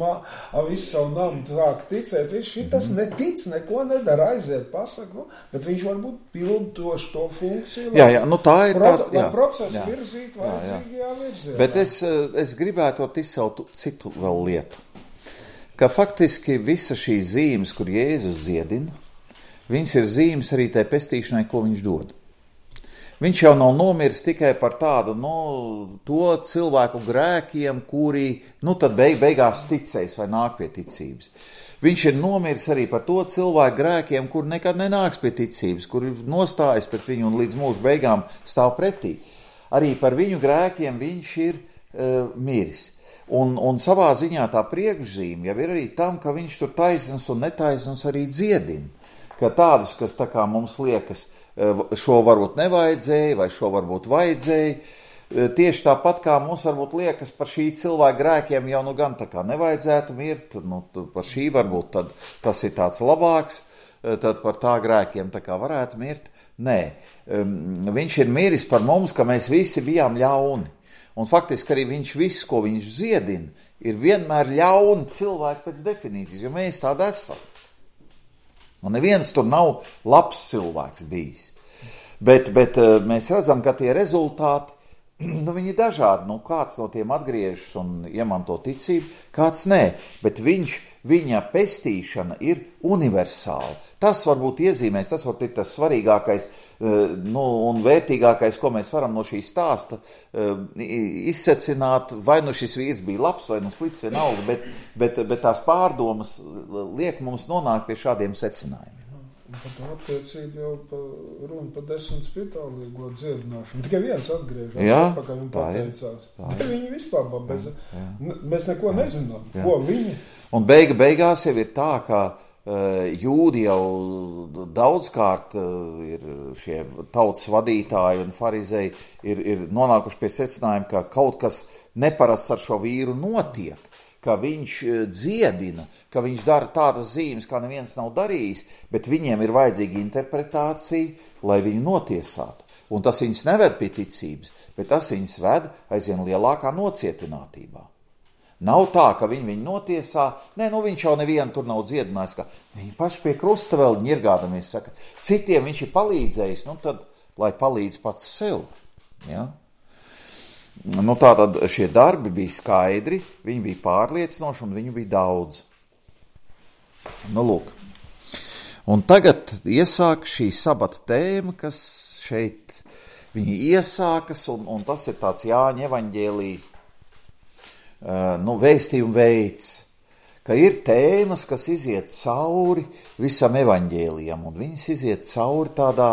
savu namu sāk ticēt, viņš šitas netic, neko nedara, aiziet, pasaka, bet viņš varbūt pildoši to funkciju, lai procesu virzītu vajadzīgajā virzienā. Bet es gribētu izcelt citu vēl lietu, ka faktiski visa šī zīmes, kur Jēzus dziedina, viņas ir zīmes arī tai pestīšanai, ko viņš dod. Viņš jau nav nomiris tikai par tādu, to cilvēku grēkiem, kuri, tad beigās ticēs vai nāk pie ticības. Viņš ir nomiris arī par to cilvēku grēkiem, kur nekad nenāks pie ticības, kuri nostājas pret viņu un līdz mūža beigām stāv pretī. Arī par viņu grēkiem viņš ir miris. Un savā ziņā tā priekšzīme jau ir arī tam, ka viņš tur taisnums un netaisnums arī dziedina. Ka tādus, kas tā kā mums liekas, šo varbūt nevajadzēja, vai šo varbūt vajadzēja. Tieši tāpat kā mums varbūt liekas par šī cilvēka grēkiem jau gan tā kā nevajadzētu mirt, par šī varbūt tad tas ir tāds labāks, tad par tā grēkiem tā kā varētu mirt. Nē, viņš ir miris par mums, ka mēs visi bijām ļauni. Un faktiski arī viņš viss, ko viņš dziedina, ir vienmēr ļauni cilvēki pēc definīcijas, jo mēs tādi esam. Un neviens tur nav labs cilvēks bijis. Bet mēs redzam, ka tie rezultāti, viņi ir dažādi. Kāds no tiem atgriežas un iemanto ticību, kāds nē. Bet viņa pestīšana ir universāla. Tas varbūt iezīmēs, tas varbūt ir tas svarīgākais un vērtīgākais, ko mēs varam no šī stāsta izsecināt, vai šis vīrs bija labs vai slikts vienalga, bet tās pārdomas liek mums nonākt pie šādiem secinājumiem. Par to attiecību jau runa par 10 spitālīgo dziedināšanu. Tikai viens atgriežas, atpakaļ un pateicās. Viņi vispār mēs neko nezinām, ko viņi. Un beigās jau ir tā, ka jūdi jau daudzkārt ir šie tautas vadītāji un farizēji ir nonākuši pie secinājuma, ka kaut kas neparasts ar šo vīru notiek, ka viņš dziedina, ka viņš dara tādas zīmes, kā neviens nav darījis, bet viņiem ir vajadzīga interpretācija, lai viņu notiesātu. Un tas viņus neved pie ticības, bet tas viņus ved aizvien lielākā nocietinātībā. Nav tā, ka viņu notiesā, viņš jau nevienu tur nav dziedinājis, ka viņi paši pie krusta vēl ņirgādamies saka, citiem viņš ir palīdzējis, tad, lai palīdz pats sev, ja? Tātad šie darbi bija skaidri, viņi bija pārliecinoši un viņu bija daudz. Lūk. Un tagad iesāk šī sabata tēma, kas šeit viņi iesākas, un tas ir tāds Jāņa evaņģēlī vēstījuma veids, ka ir tēmas, kas iziet cauri visam evaņģēlijam, un viņas iziet cauri tādā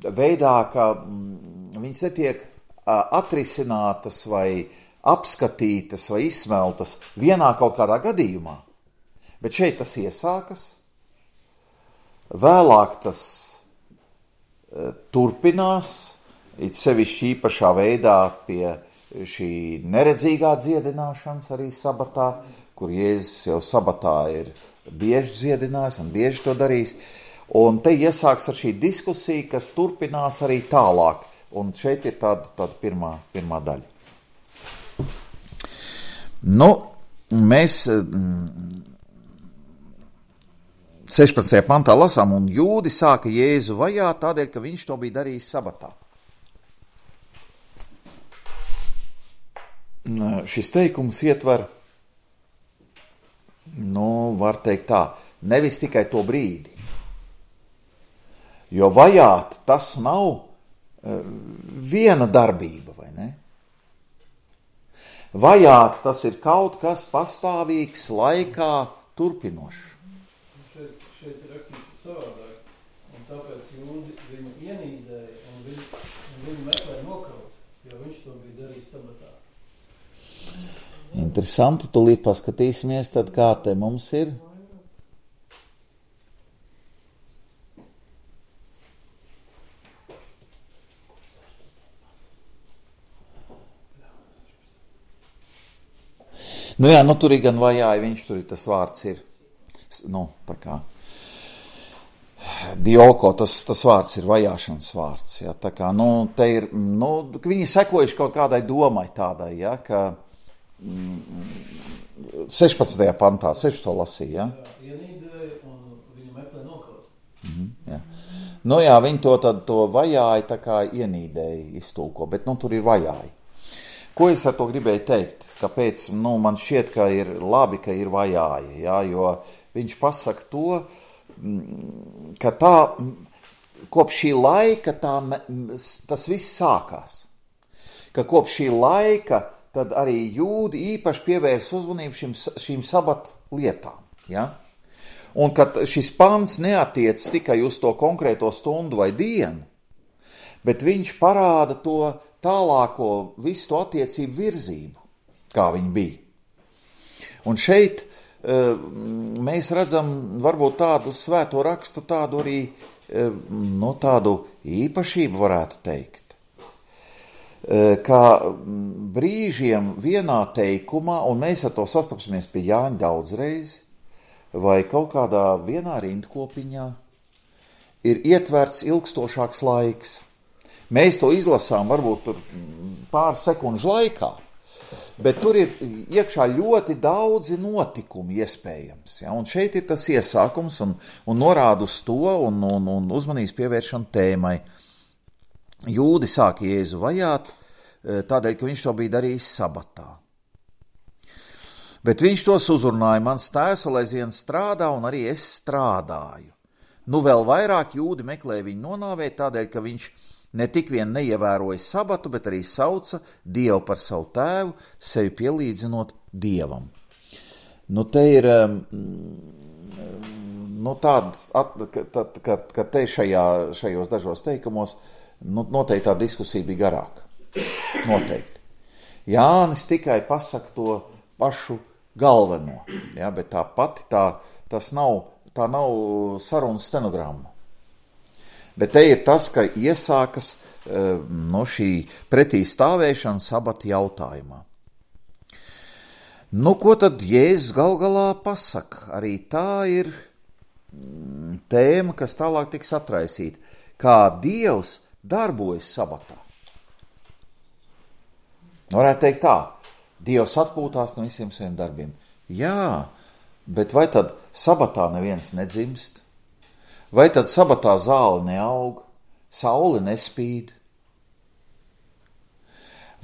veidā, ka viņas netiek atrisinātas vai apskatītas vai izsmeltas vienā kaut kādā gadījumā. Bet šeit tas iesākas, vēlāk tas turpinās, it sevišķi īpašā veidā pie šī neredzīgā dziedināšanas arī sabatā, kur Jēzus jau sabatā ir bieži dziedinājis un bieži to darījis. Un te iesāks ar šī diskusija, kas turpinās arī tālāk. Un šeit ir tāda pirmā daļa. Mēs 16. pantā lasām, un jūdi sāka Jēzu vajāt tādēļ, ka viņš to bija darījis sabatā. Šis teikums ietver, var teikt tā, nevis tikai to brīdi. Jo vajāt tas nav viena darbība, vai ne? Vajāt tas ir kaut kas pastāvīgs, laikā turpinošs. Šeit ir rakstīts savādāk, un tāpēc jūdi viņu ienīdēja, un viņu meklēja nokaut, jo viņš to bija darījis sabatā. Interesanti, tūlīt paskatīsimies, tad kā te mums ir. Nu jā, nu tur ir gan vajāji, viņš tur ir, tas vārds ir, nu, tā kā, dioko, tas vārds ir vajāšanas vārds, jā, tā kā, nu, te ir, nu, viņi sekojuši kaut kādai domai tādai, jā, ka 16. pantā, 16. lasīja, jā. Ienīdēja un viņu meklē nokaut. Jā. Nu jā, viņi to vajāji tā kā ienīdēja iztulko, bet, nu, tur ir vajāji. Ko es ar to gribēju teikt? Kāpēc, nu, man šķiet, ka ir labi, ka ir vajāji, jā, jo viņš pasaka to, ka tā, kopš šī laika tas viss sākās. Ka kopš šī laika tad arī jūdi īpaši pievērs uzmanību šīm sabat lietām, jā. Un ka šis pants neatiec tikai uz to konkrēto stundu vai dienu, bet viņš parāda to tālāko visu to attiecību virzību, kā viņi bija. Un šeit mēs redzam varbūt tādu svēto rakstu, tādu arī, no tādu īpašību varētu teikt. Kā brīžiem vienā teikumā, un mēs ar to sastapsimies pie Jāņa daudzreiz, vai kaut kādā vienā rindkopiņā, ir ietverts ilgstošāks laiks. Mēs to izlasām varbūt tur pāris sekundžu laikā, bet tur ir iekšā ļoti daudzi notikumi iespējams. Ja? Un šeit ir tas iesākums un norāda uz to un uzmanības pievēršana tēmai. Jūdi sāka Jēzu vajāt, tādēļ, ka viņš to bija darījis sabatā. Bet viņš tos uzrunāja, mans tēvs vēl aizvien strādā un arī es strādāju. Nu vēl vairāk jūdi meklē viņu nonāvēt, tādēļ, ka viņš ne tik vien neievēroja sabatu, bet arī sauca Dievu par savu tēvu, sevi pielīdzinot Dievam. Nu, te ir, nu, ka te šajos dažos teikumos, nu, noteikti tā diskusija bija garāka. Noteikti. Jānis tikai pasaka to pašu galveno, ja, bet tā pati tā nav sarunas stenogramma. Bet te ir tas, ka iesākas no šī pretī stāvēšana sabata jautājumā. Nu, ko tad Jēzus gal galā pasaka? Arī tā ir tēma, kas tālāk tiks atraisīta. Kā Dievs darbojas sabatā. Varētu teikt tā, Dievs atpūtās no visiem saviem darbiem. Jā, bet vai tad sabatā neviens nedzimst? Vai tad sabatā zāle neaug, saule nespīd?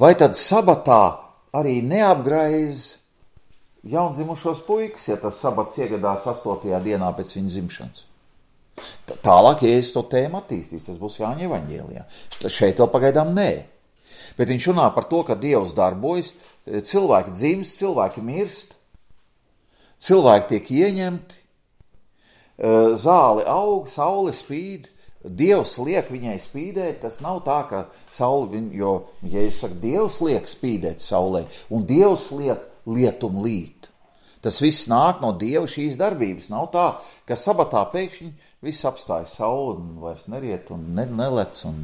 Vai tad sabatā arī neapgraiz jaundzimušos puikas, ja tas sabats iegadās 8. dienā pēc viņa dzimšanas? Tālāk, ja es to tēmu attīstīs, tas būs Jāņa evaņģēlijā. Šeit vēl pagaidām nē. Bet viņš runā par to, ka Dievs darbojas, cilvēki dzimst, cilvēki mirst, cilvēki tiek ieņemti, zāle aug, saule spīd, Dievs liek viņai spīdēt, tas nav tā, ka saule, jo, ja es saku, Dievs liek spīdēt saulē, un Dievs liek lietum līt. Tas viss nāk no Dieva šīs darbības, nav tā, ka sabatā pēkšņi viss apstājas saule un vairs neriet un nelec un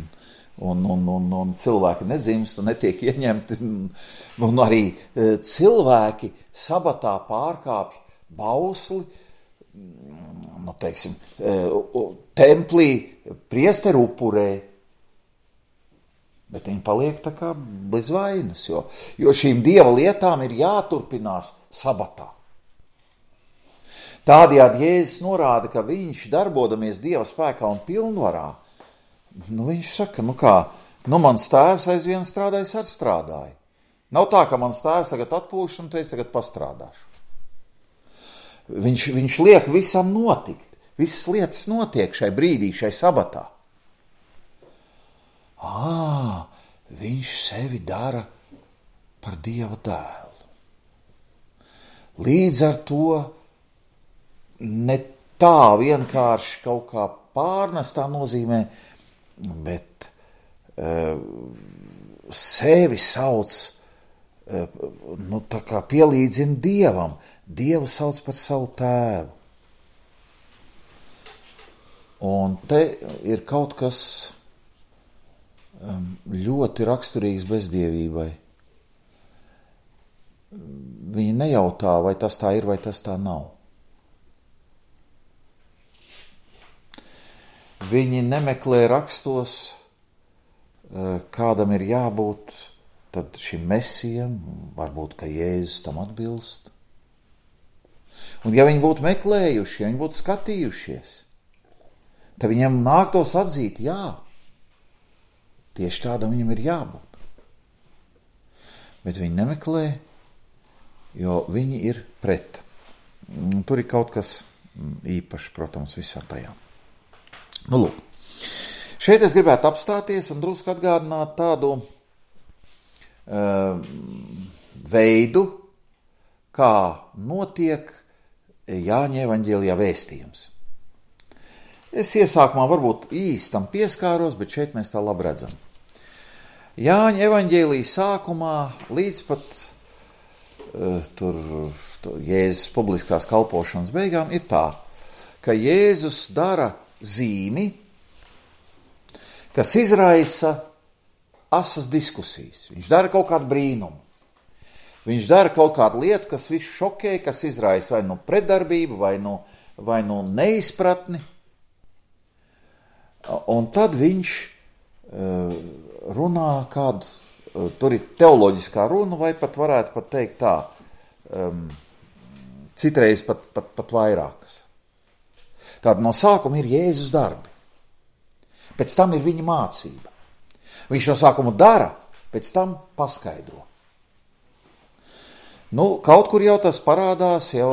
cilvēki nedzimst un netiek ieņemti, un arī cilvēki sabatā pārkāpj bausli, nu, teiksim, templī priesteru upurē, bet viņi paliek tā kā bez vainas, jo šīm Dieva lietām ir jāturpinās sabatā. Tādējādi Jēzus norāda, ka viņš darbodamies Dieva spēkā un pilnvarā, nu viņš saka, nu kā, nu mans tēvs aizvien strādājis ar strādāju. Nav tā, ka mans tēvs tagad atpūš un te es tagad pastrādāšu. Viņš liek visam notikt. Visas lietas notiek šai brīdī, šai sabatā. Viņš sevi dara par Dieva dēlu. Līdz ar to ne tā vienkārši kaut kā pārnestā nozīmē, bet sevi sauc tā kā pielīdzina Dievam. Dievu sauc par savu tēvu. Un te ir kaut kas ļoti raksturīgs bezdievībai. Viņi nejautā, vai tas tā ir, vai tas tā nav. Viņi nemeklē rakstos, kādam ir jābūt tad šim mesijam, varbūt, ka Jēzus tam atbilst. Un ja viņi būtu meklējuši, ja viņi būtu skatījušies, tad viņam nāktos atzīt, jā, tieši tādam viņam ir jābūt. Bet viņi nemeklē, jo viņi ir pret. Un tur ir kaut kas īpašs, protams, visā tajā. Nu, lūk. Šeit es gribētu apstāties un drusku atgādināt tādu veidu, kā notiek Jāņa evaņģēlijā vēstījums. Es iesākumā varbūt īstam pieskāros, bet šeit mēs tā labi redzam. Jāņa evaņģēlijas sākumā līdz pat Jēzus publiskās kalpošanas beigām ir tā, ka Jēzus dara zīmi, kas izraisa asas diskusijas. Viņš dara kaut kādu brīnumu. Viņš dara kaut kādu lietu, kas visu šokē, kas izraisa vai nu pretdarbību, vai nu neizpratni. Un tad viņš runā kādu, tur ir teoloģiskā runa, vai pat varētu pat teikt tā, citreiz pat vairākas. Tāda no sākuma ir Jēzus darbi. Pēc tam ir viņa mācība. Viņš no sākuma dara, pēc tam paskaidro. Nu, kaut kur jau tas parādās, jau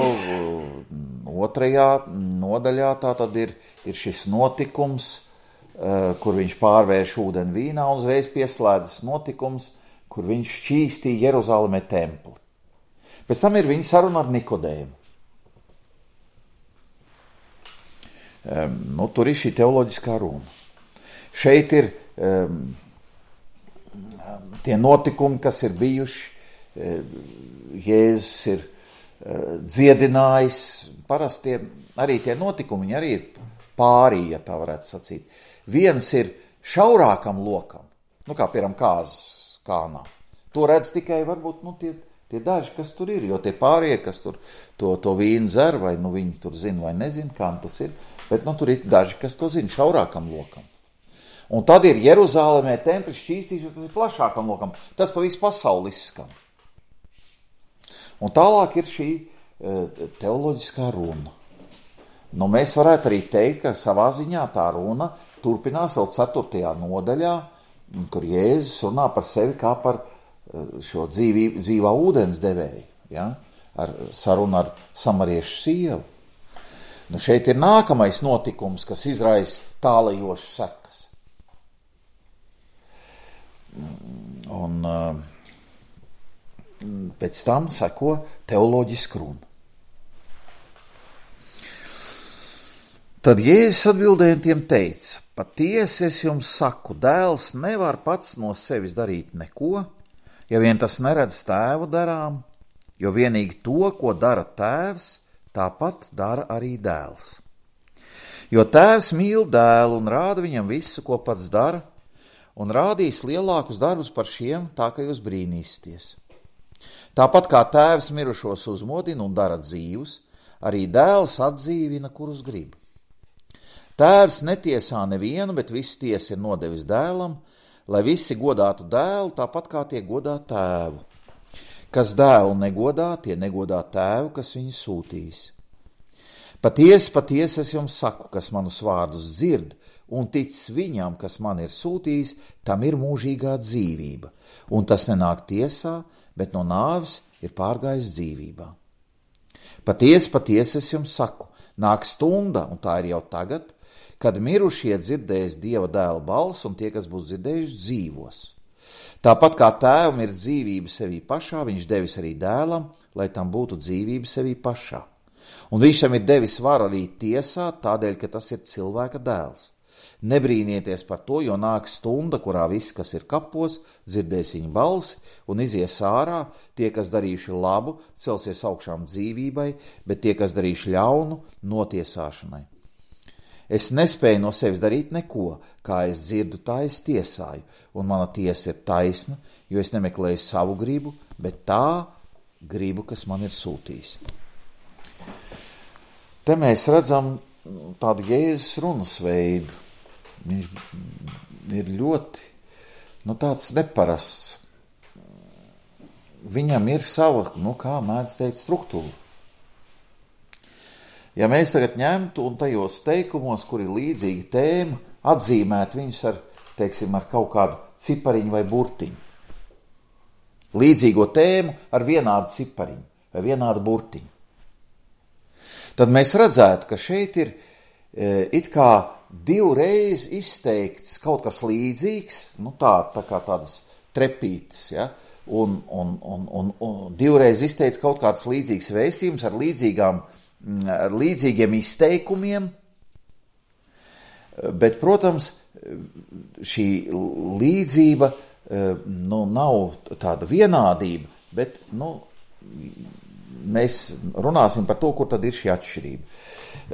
2. nodaļā tā tad ir šis notikums, kur viņš pārvērš ūdeni vīnā un uzreiz pieslēdzas notikums, kur viņš šķīstīja Jeruzalemē templi. Pēc tam ir viņa saruna ar Nikodēmu. Nu, tur ir šī teoloģiskā runa. Šeit ir tie notikumi, kas ir bijuši. Jēzus ir dziedinājis. Parasti arī tie notikumi, viņi arī ir pārī, ja tā varētu sacīt. Viens ir šaurākam lokam, nu kā piemēram kāzas kānā. To redz tikai varbūt tie daži, kas tur ir, jo tie pārējie, kas tur to vīnu dzer, vai nu viņi tur zina vai nezina, kā tas ir, bet tur ir daži, kas to zina, šaurākam lokam. Un tad ir Jeruzalemē templis šķīstīšana, tas ir plašākam lokam, tas pa visu pasauli izskan. Un tālāk ir šī teoloģiskā runa. Nu, mēs varētu arī teikt, ka savā ziņā tā runa turpinās vēl 4. nodaļā, kur Jēzus runā par sevi kā par šo dzīvā ūdens devēju, ja? Ar sarunu ar samariešu sievu. Nu, šeit ir nākamais notikums, kas izraisa tālajošas sekas. Un pēc tam seko teoloģiska runa. Tad Jēzus atbildēja un tiem teica: patiesi es jums saku, dēls nevar pats no sevis darīt neko, ja vien tas neredz tēvu darām, jo vienīgi to, ko dara tēvs, tāpat dara arī dēls. Jo tēvs mīl dēlu un rāda viņam visu, ko pats dara, un rādīs lielākus darbus par šiem, tā ka jūs brīnīsieties. Tāpat kā tēvs mirušos uzmodina un dara dzīvus, arī dēls atdzīvina, kurus grib. Tēvs netiesā nevienu, bet visu tiesu ir nodevis dēlam, lai visi godātu dēlu, tāpat kā tie godā tēvu. Kas dēlu negodā, tie negodā tēvu, kas viņu sūtīs. Patiesi, patiesi es jums saku, kas manus vārdus dzird un tic viņam, kas man ir sūtījis, tam ir mūžīgā dzīvība, un tas nenāk tiesā, bet no nāves ir pārgājis dzīvībā. Patiesi, patiesi es jums saku, nāk stunda, un tā ir jau tagad, kad mirušie dzirdēs Dieva dēla balsi, un tie, kas būs dzirdējuši, dzīvos. Tāpat kā tēvam ir dzīvība sevī pašā, viņš devis arī dēlam, lai tam būtu dzīvība sevī pašā. Un viņš tam ir devis varu arī tiesāt, tādēļ, ka tas ir cilvēka dēls. Nebrīnieties par to, jo nāk stunda, kurā viss, kas ir kapos, dzirdēs viņa balsi un izies ārā. Tie, kas darījuši labu, celsies augšām dzīvībai, bet tie, kas darījuši ļaunu, notiesāšanai. Es nespēju no sevis darīt neko, kā es dzirdu, tā es tiesāju, un mana tiesa ir taisna, jo es nemeklēju savu gribu, bet tā gribu, kas man ir sūtījis. Te mēs redzam tādu Jēzus runas veidu. Viņš ir ļoti, tāds neparasts. Viņam ir sava, kā mēdz teikt, struktūra. Ja mēs tagad ņemtu un tajos teikumos, kur ir līdzīga tēma, atzīmēt viņus ar kaut kādu cipariņu vai burtiņu. Līdzīgo tēmu ar vienādu cipariņu vai vienādu burtiņu. Tad mēs redzētu, ka šeit ir it kā divreiz izteikts kaut kas līdzīgs, tā kā tādas trepītes, ja? un divreiz izteikts kaut kāds līdzīgs vēstījums ar līdzīgiem izteikumiem, bet, protams, šī līdzība nav tāda vienādība, bet mēs runāsim par to, kur tad ir šī atšķirība.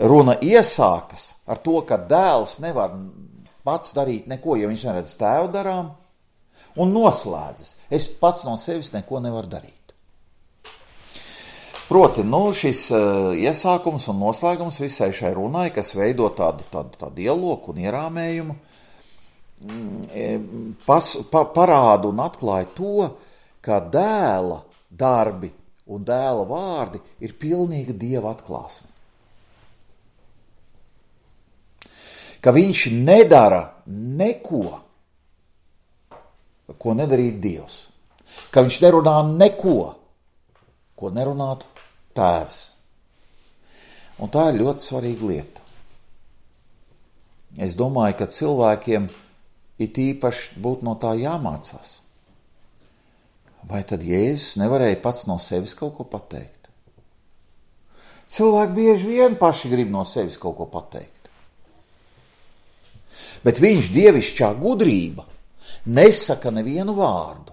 Runa iesākas ar to, ka dēls nevar pats darīt neko, ja viņš neredz tēvu darām, un noslēdzas. Es pats no sevis neko nevaru darīt. Proti, šis iesākums un noslēgums visai šai runai, kas veido tādu dialogu un ierāmējumu, parāda un atklāja to, ka dēla darbi un dēla vārdi ir pilnīga Dieva atklāsme. Ka viņš nedara neko, ko nedarītu Dievs. Ka viņš nerunā neko, ko nerunātu Tēvs. Un tā ir ļoti svarīga lieta. Es domāju, ka cilvēkiem it īpaši būtu no tā jāmācās. Vai tad Jēzus nevarēja pats no sevis kaut ko pateikt? Cilvēki bieži vien paši grib no sevis kaut ko pateikt. Bet viņš dievišķā gudrība nesaka nevienu vārdu,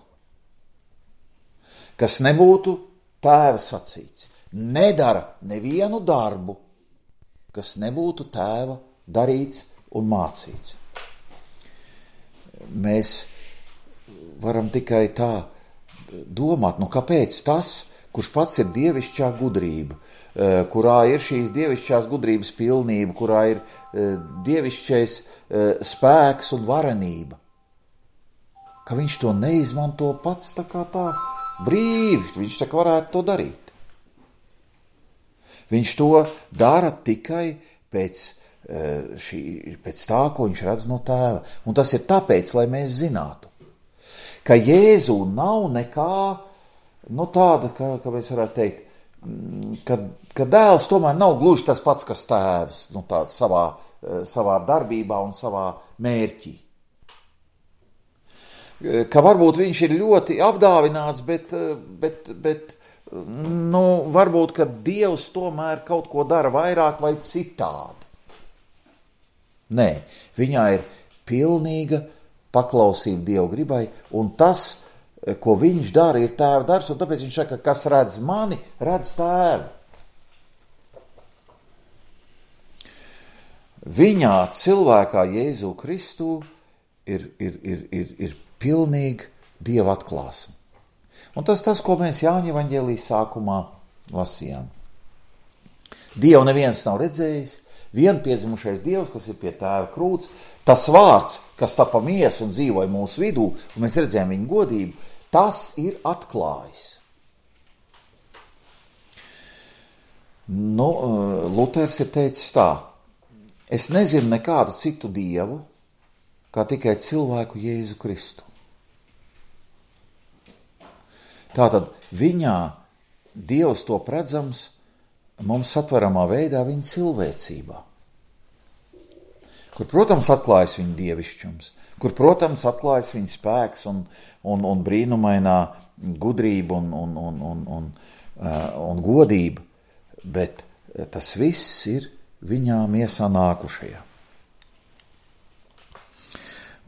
kas nebūtu Tēva sacīts. Nedara nevienu darbu, kas nebūtu Tēva darīts un mācīts. Mēs varam tikai tā domāt, kāpēc tas, kurš pats ir dievišķā gudrība, kurā ir šīs dievišķās gudrības pilnība, kurā ir dievišķais spēks un varenība, ka viņš to neizmanto pats tā brīvi, viņš tā varētu to darīt. Viņš to dara tikai pēc tā, ko viņš redz no Tēva. Un tas ir tāpēc, lai mēs zinātu, ka Jēzu nav nekā, tāda, kā mēs varētu teikt, ka dēls tomēr nav gluži tas pats, kas Tēvs, savā darbībā un savā mērķī. Ka varbūt viņš ir ļoti apdāvināts, bet varbūt, ka Dievs tomēr kaut ko dara vairāk vai citādi. Nē, viņā ir pilnīga paklausība Dieva gribai, un tas, ko viņš dara, ir Tēva darbs, un tāpēc viņš saka, kas redz mani, redz Tēvu. Viņā, cilvēkā Jēzu Kristu, ir pilnīgi Dieva atklāsme. Un tas, ko mēs Jāņa evaņģēlijas sākumā lasījām. Dievu neviens nav redzējis, vienpiedzimušais Dievs, kas ir pie Tēva krūts, tas vārds, kas tapa miesu un dzīvoja mūsu vidū, un mēs redzējām viņa godību, tas ir atklājis. Luters ir teicis tā: es nezinu nekādu citu Dievu, kā tikai cilvēku Jēzu Kristu. Tātad viņā Dievs top redzams mums satveramā veidā viņa cilvēcībā, kur, protams, atklājas viņa dievišķums, kur, protams, atklājas viņa spēks un brīnumainā gudrība un godība, bet tas viss ir viņā miesā nākušajā.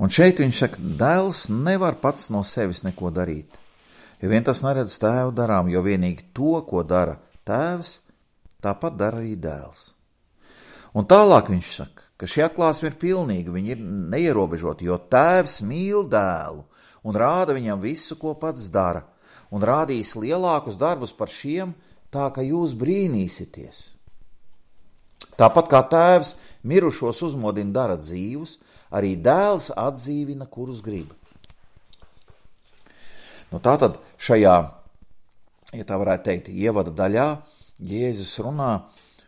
Un šeit viņš saka, dēls nevar pats no sevis neko darīt, jo vien tas neredz tēvu darām, jo vienīgi to, ko dara tēvs, tāpat dara arī dēls. Un tālāk viņš saka, ka šī atklāsme ir pilnīga, viņa ir neierobežota, jo tēvs mīl dēlu un rāda viņam visu, ko pats dara, un rādīs lielākus darbus par šiem, tā ka jūs brīnīsieties. Tāpat kā tēvs mirušos uzmodina dara dzīvus, arī dēls atdzīvina, kurus grib. Nu, tātad šajā, ja tā varētu teikt, ievada daļā, Jēzus runā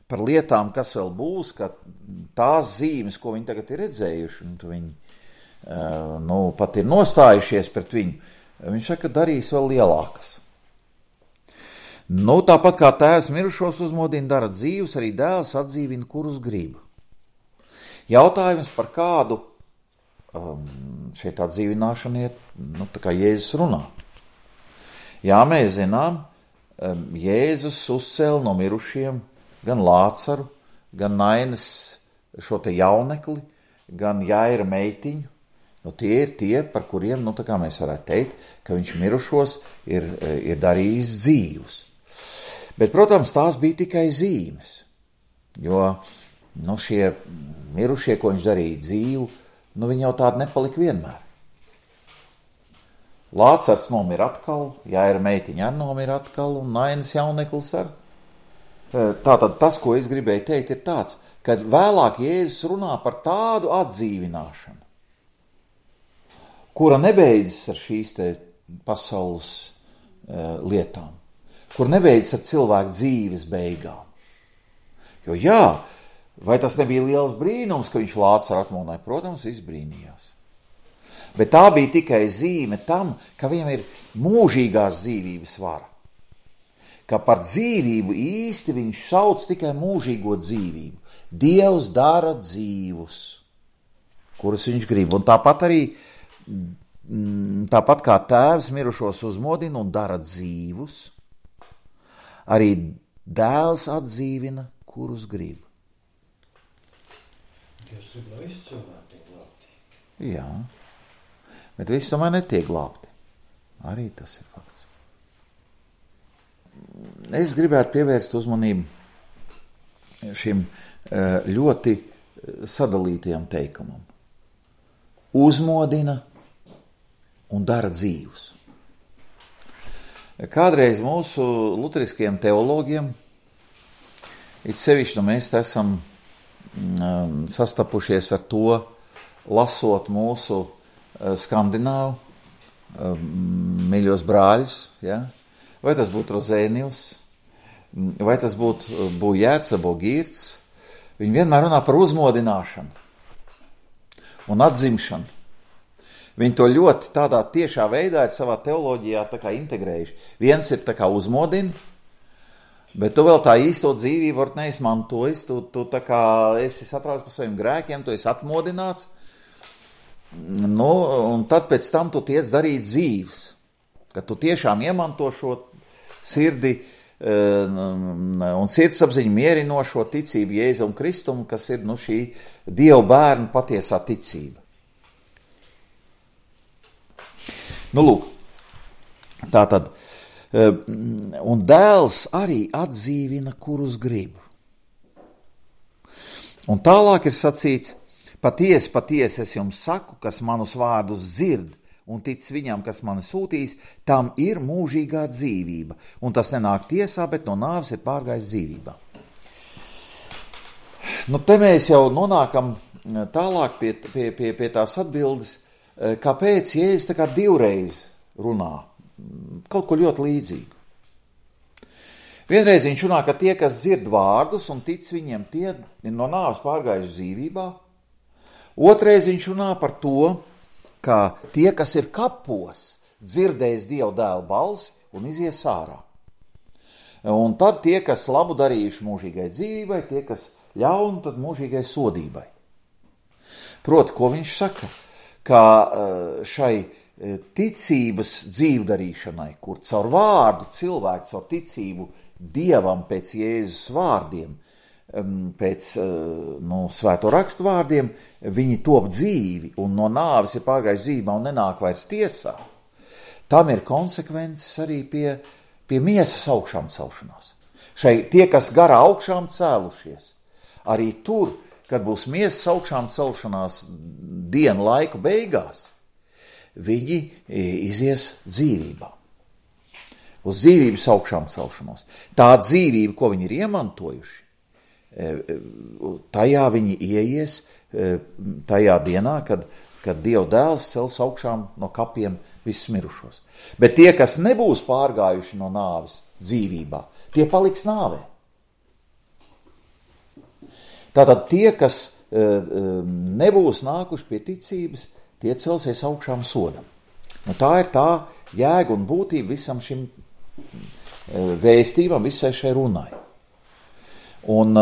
par lietām, kas vēl būs, ka tās zīmes, ko viņi tagad ir redzējuši, un viņi pat ir nostājušies pret viņu, viņš saka, darīs vēl lielākas. Nu, tāpat kā tēvs mirušos uzmodina dara dzīvus, arī dēls atdzīvina, kurus grib. Jautājums par kādu šeit atdzīvināšana iet, tā kā Jēzus runā. Jā, mēs zinām, Jēzus uzcēla no mirušiem gan Lācaru, gan Nainas šo te jaunekli, gan Jaira meitiņu. Tie ir tie, par kuriem, tā kā mēs varētu teikt, ka viņš mirušos ir darījis dzīvus. Bet, protams, tās bija tikai zīmes, jo šie mirušie, ko viņš darīja dzīvu, viņi jau tādi nepalika vienmēr. Lācars nomira atkal, Jaira meitiņa arī nomira atkal, un Nainas jauneklis arī. Tātad tas, ko es gribēju teikt, ir tāds, ka vēlāk Jēzus runā par tādu atdzīvināšanu, kura nebeidzas ar šīs te pasaules lietām, kur nebeidzas ar cilvēku dzīves beigām. Jo jā, vai tas nebija liels brīnums, ka viņš Lācaru atmodināja? Protams, viss brīnījās. Bet tā bija tikai zīme tam, ka viņam ir mūžīgās dzīvības vara. Ka par dzīvību īsti viņš sauc tikai mūžīgo dzīvību. Dievs dara dzīvus, kurus viņš grib. Un tāpat kā tēvs mirušos uzmodina un dara dzīvus, arī dēls atdzīvina, kurus grib. Dievs grib, lai visi cilvēki tiek glābti. Jā, bet visi tomēr netiek glābti. Arī tas ir fakts. Es gribētu pievērst uzmanību šim ļoti sadalītajam teikumam. Uzmodina un dara dzīvus. Kādreiz mūsu luteriskajiem teologiem, it sevišķi mēs esam sastapušies ar to, lasot mūsu skandināvu mīļos brāļus, ja? Vai tas būtu Rozēnijus, vai tas būtu Bujērts, Bogīrts, viņi vienmēr runā par uzmodināšanu un atzimšanu. Viņi to ļoti tādā tiešā veidā ir savā teoloģijā tā kā integrējuši. Viens ir tā kā uzmodina, bet tu vēl tā īsto dzīvību var neizmantojis, tu tā kā esi satrauc par saviem grēkiem, tu esi atmodināts, un tad pēc tam tu tiec darīt dzīves, ka tu tiešām iemanto šo sirdi un sirdsapziņu mierinošo ticību Jēzum Kristum, kas ir šī Dieva bērna patiesā ticība. Lūk, tātad, un dēls arī atdzīvina, kurus grib. Un tālāk ir sacīts, patiesi, patiesi es jums saku, kas manus vārdus dzird un tic viņam, kas mani sūtīs, tam ir mūžīgā dzīvība, un tas nenāk tiesā, bet no nāves ir pārgājis dzīvībā. Te mēs jau nonākam tālāk pie tās atbildes, kāpēc Jēzus tā kā divreiz runā, kaut ko ļoti līdzīgu. Vienreiz viņš runā, ka tie, kas dzird vārdus un tic viņiem, tie ir no nāves pārgājuši dzīvībā. Otrais viņš runā par to, ka tie, kas ir kapos, dzirdēs Dieva dēla balsi un izies ārā. Un tad tie, kas labu darījuši mūžīgai dzīvībai, tie, kas ļaunu, tad mūžīgai sodībai. Proti, ko viņš saka? Ka šai ticības dzīvdarīšanai, kur caur vārdu cilvēks, caur ticību Dievam pēc Jēzus vārdiem pēc svēto rakstu vārdiem, viņi top dzīvi un no nāves ir pārgājuši dzīvībā un nenāk vairs tiesā, tam ir konsekvences arī pie miesas augšām celšanās. Tie, kas garā augšām cēlušies, arī tur, kad būs miesas augšām celšanās dienu laiku beigās, viņi izies dzīvībā. Uz dzīvības augšām celšanos. Tā dzīvība, ko viņi ir iemantojuši, tajā viņi ieies tajā dienā, kad Dieva dēls cels augšām no kapiem visus mirušos. Bet tie, kas nebūs pārgājuši no nāves dzīvībā, tie paliks nāvē. Tātad tie, kas nebūs nākuši pie ticības, tie celsies augšām sodam. Tā ir tā jēga un būtība visam šim vēstībām, visai šai runai. Un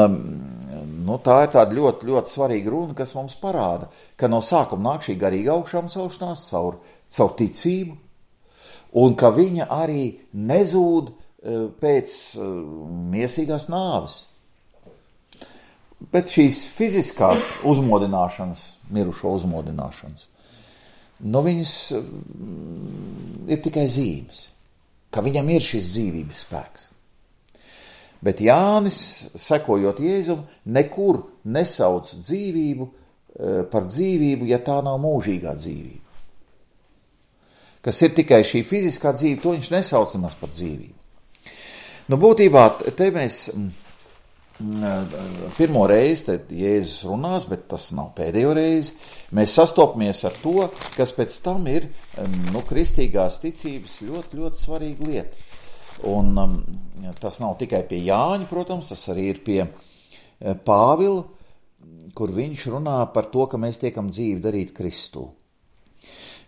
tā ir tāda ļoti, ļoti svarīga runa, kas mums parāda, ka no sākuma nāk šī garīga augšām celšanās caur ticību, un ka viņa arī nezūd pēc miesīgās nāves. Bet šīs fiziskās uzmodināšanas, mirušo uzmodināšanas, viņas ir tikai zīmes, ka viņam ir šis dzīvības spēks. Bet Jānis, sekojot Jēzum, nekur nesauc dzīvību par dzīvību, ja tā nav mūžīgā dzīvība. Kas ir tikai šī fiziskā dzīve, to viņš nesauc nemaz par dzīvību. Būtībā te mēs pirmo reizi te Jēzus runās, bet tas nav pēdējo reizi. Mēs sastopamies ar to, kas pēc tam ir kristīgās ticības ļoti, ļoti svarīga lieta. Un tas nav tikai pie Jāņa, protams, tas arī ir pie Pāvila, kur viņš runā par to, ka mēs tiekam dzīvi darīt Kristū.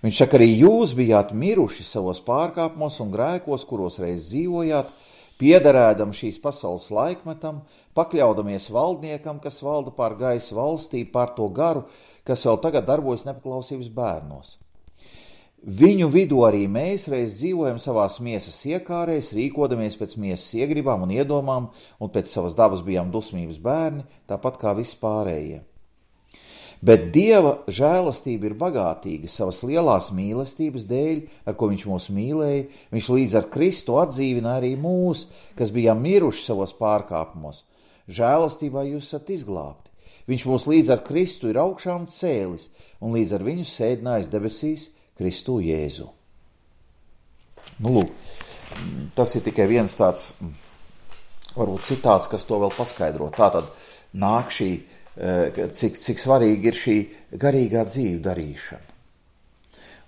Viņš saka, arī jūs bijāt miruši savos pārkāpumos un grēkos, kuros reiz dzīvojāt, piederēdam šīs pasaules laikmetam, pakļaudamies valdniekam, kas valda pār gaisa valstību, pār to garu, kas vēl tagad darbojas nepaklausības bērnos. Viņu vidū arī mēs reiz dzīvojam savās miesas iekārēs, rīkodamies pēc miesas iegribām un iedomām, un pēc savas dabas bijām dusmības bērni, tāpat kā visi pārējie. Bet Dieva žēlastība ir bagātīga savas lielās mīlestības dēļ, ar ko viņš mūs mīlēja. Viņš līdz ar Kristu atdzīvina arī mūs, kas bijām miruši savos pārkāpumos. Žēlastībā jūs esat izglābti. Viņš mūs līdz ar Kristu ir augšām cēlis un līdz ar viņu sēdinājis debesīs Kristu Jēzu. Lūk, tas ir tikai viens tāds, varbūt citāts, kas to vēl paskaidro. Tātad nāk šī, cik svarīgi ir šī garīgā dzīve darīšana.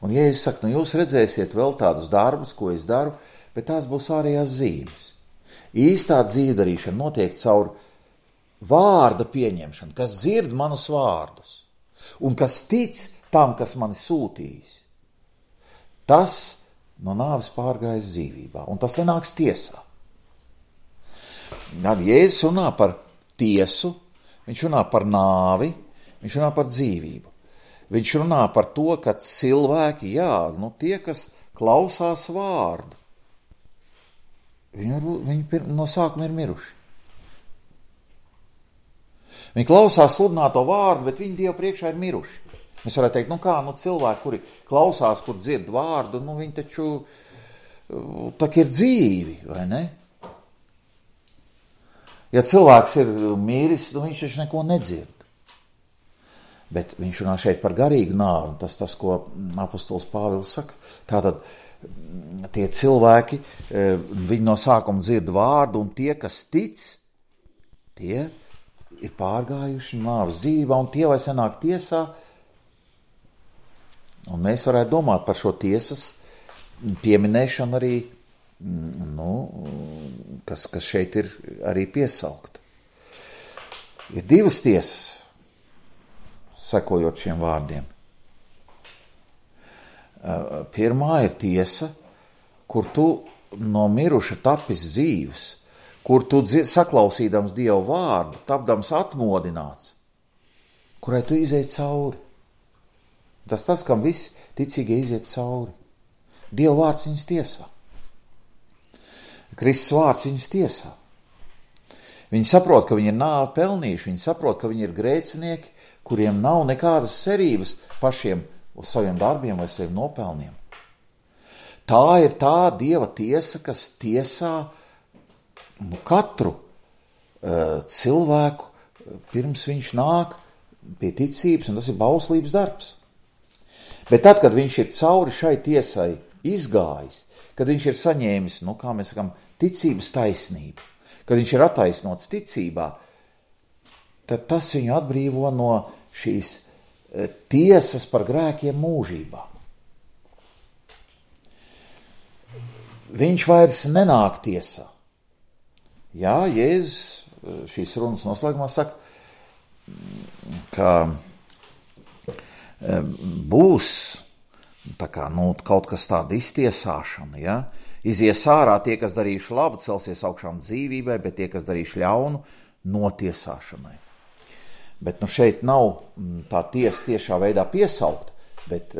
Un Jēzus saka, jūs redzēsiet vēl tādus darbus, ko es daru, bet tās būs ārējās zīmes. Īstā dzīve darīšana notiek caur vārda pieņemšanu, kas dzird manus vārdus un kas tic tam, kas mani sūtījis. Tas no nāves pārgājis dzīvībā, un tas nenāks tiesā. Tad Jēzus runā par tiesu, viņš runā par nāvi, viņš runā par dzīvību. Viņš runā par to, ka cilvēki, tie, kas klausās vārdu, viņi no sākuma ir miruši. Viņi klausās sludināto vārdu, bet viņi Dievu priekšā ir miruši. Mēs varētu teikt, cilvēki, kuri klausās, kur dzird vārdu, viņi taču tā ir dzīvi, vai ne? Ja cilvēks ir miris, viņš taču neko nedzird. Bet viņš runā šeit par garīgu nāvi, un tas, ko apostols Pāvils saka. Tātad tie cilvēki, viņi no sākuma dzird vārdu, un tie, kas tic, tie ir pārgājuši nāves dzīvībā, un tie vairs nenāk tiesā. Un mēs varētu domāt par šo tiesas pieminēšanu arī, kas šeit ir arī piesaukt. Ir divas tiesas, sekojot šiem vārdiem. Pirmā ir tiesa, kur tu no miruša tapis dzīves, kur tu saklausīdams Dievu vārdu, tapdams atmodināts, kurai tu izej cauri. Tas, kam visi ticīgie iziet cauri. Dieva vārds viņus tiesā. Kristus vārds viņus tiesā. Viņi saprot, ka viņi ir nāvi pelnījuši, viņi saprot, ka viņi ir grēcinieki, kuriem nav nekādas cerības pašiem uz saviem darbiem vai saviem nopelniem. Tā ir tā Dieva tiesa, kas tiesā katru cilvēku, pirms viņš nāk pie ticības, un tas ir bauslības darbs. Bet tad, kad viņš ir cauri šai tiesai izgājis, kad viņš ir saņēmis, kā mēs sakam, ticības taisnību, kad viņš ir attaisnots ticībā, tad tas viņu atbrīvo no šīs tiesas par grēkiem mūžībā. Viņš vairs nenāk tiesā. Jā, Jēzus šīs runas noslēgumā saka, ka būs kaut kas tāda iztiesāšana, ja? Izies ārā tie, kas darījuši labu, celsies augšām dzīvībai, bet tie, kas darījuši ļaunu, notiesāšanai. Bet šeit nav tā tiesa tiešā veidā piesaukt, bet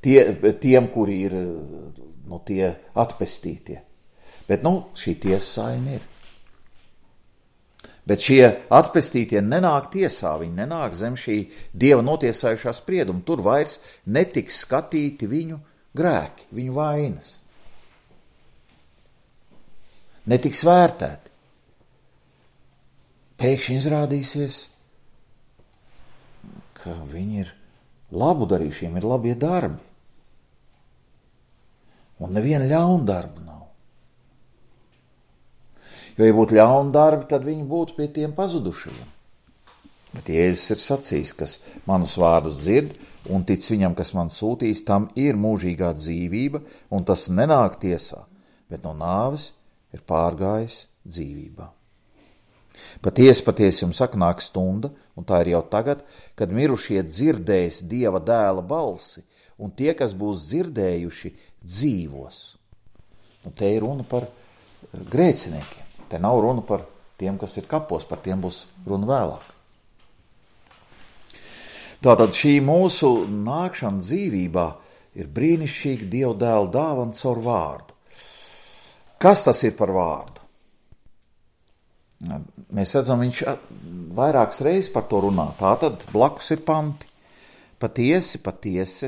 tiem, kuri ir tie atpestītie. Bet šī tiesa saina ir. Bet šie atpestītie nenāk tiesā, viņi nenāk zem šī Dieva notiesājušā sprieduma. Tur vairs netiks skatīti viņu grēki, viņu vainas. Netiks vērtēti. Pēkšņi izrādīsies, ka viņi ir labu darījuši, viņiem ir labie darbi. Un neviena ļauna darba nav. Jo, ja būtu ļauna darbi, tad viņi būtu pie tiem pazudušajiem. Bet Jēzus ir sacījis, kas manus vārdus dzird un tic viņam, kas man sūtīs, tam ir mūžīgā dzīvība, un tas nenāk tiesā, bet no nāves ir pārgājis dzīvībā. Patiesi jums saka, nāk stunda, un tā ir jau tagad, kad mirušie dzirdēs Dieva dēla balsi, un tie, kas būs dzirdējuši, dzīvos. Un te ir runa par grēciniekiem. Te nav runa par tiem, kas ir kapos, par tiem būs runa vēlāk. Tātad šī mūsu nākšana dzīvībā ir brīnišķīga Dieva dēla dāvana caur vārdu. Kas tas ir par vārdu? Mēs redzam, viņš vairākas reizes par to runā. Tātad blakus ir panti. Patiesi es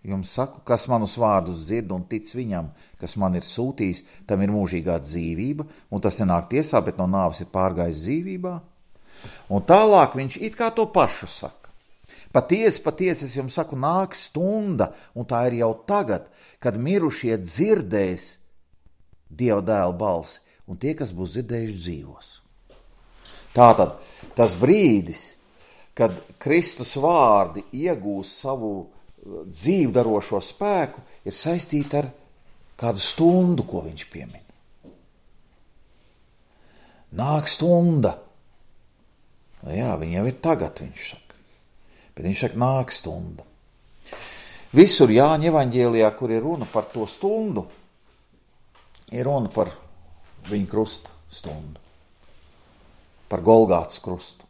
jums saku, kas manus vārdus dzird un tic viņam, kas man ir sūtījis, tam ir mūžīgā dzīvība, un tas nenāk tiesā, bet no nāves ir pārgājis dzīvībā. Un tālāk viņš it kā to pašu saka. Patiesi es jums saku, nāk stunda, un tā ir jau tagad, kad mirušie dzirdēs Dieva dēla balsi, un tie, kas būs dzirdējuši, dzīvos. Tātad tas brīdis, kad Kristus vārdi iegūs savu dzīvdarošo spēku, ir saistīta ar kādu stundu, ko viņš piemin. Nāk stunda. Jā, viņa jau ir tagad, viņš saka. Bet viņš saka, nāk stunda. Visur Jāņa evaņģēlijā, kur ir runa par to stundu, ir runa par viņa krusta stundu. Par Golgātas krustu.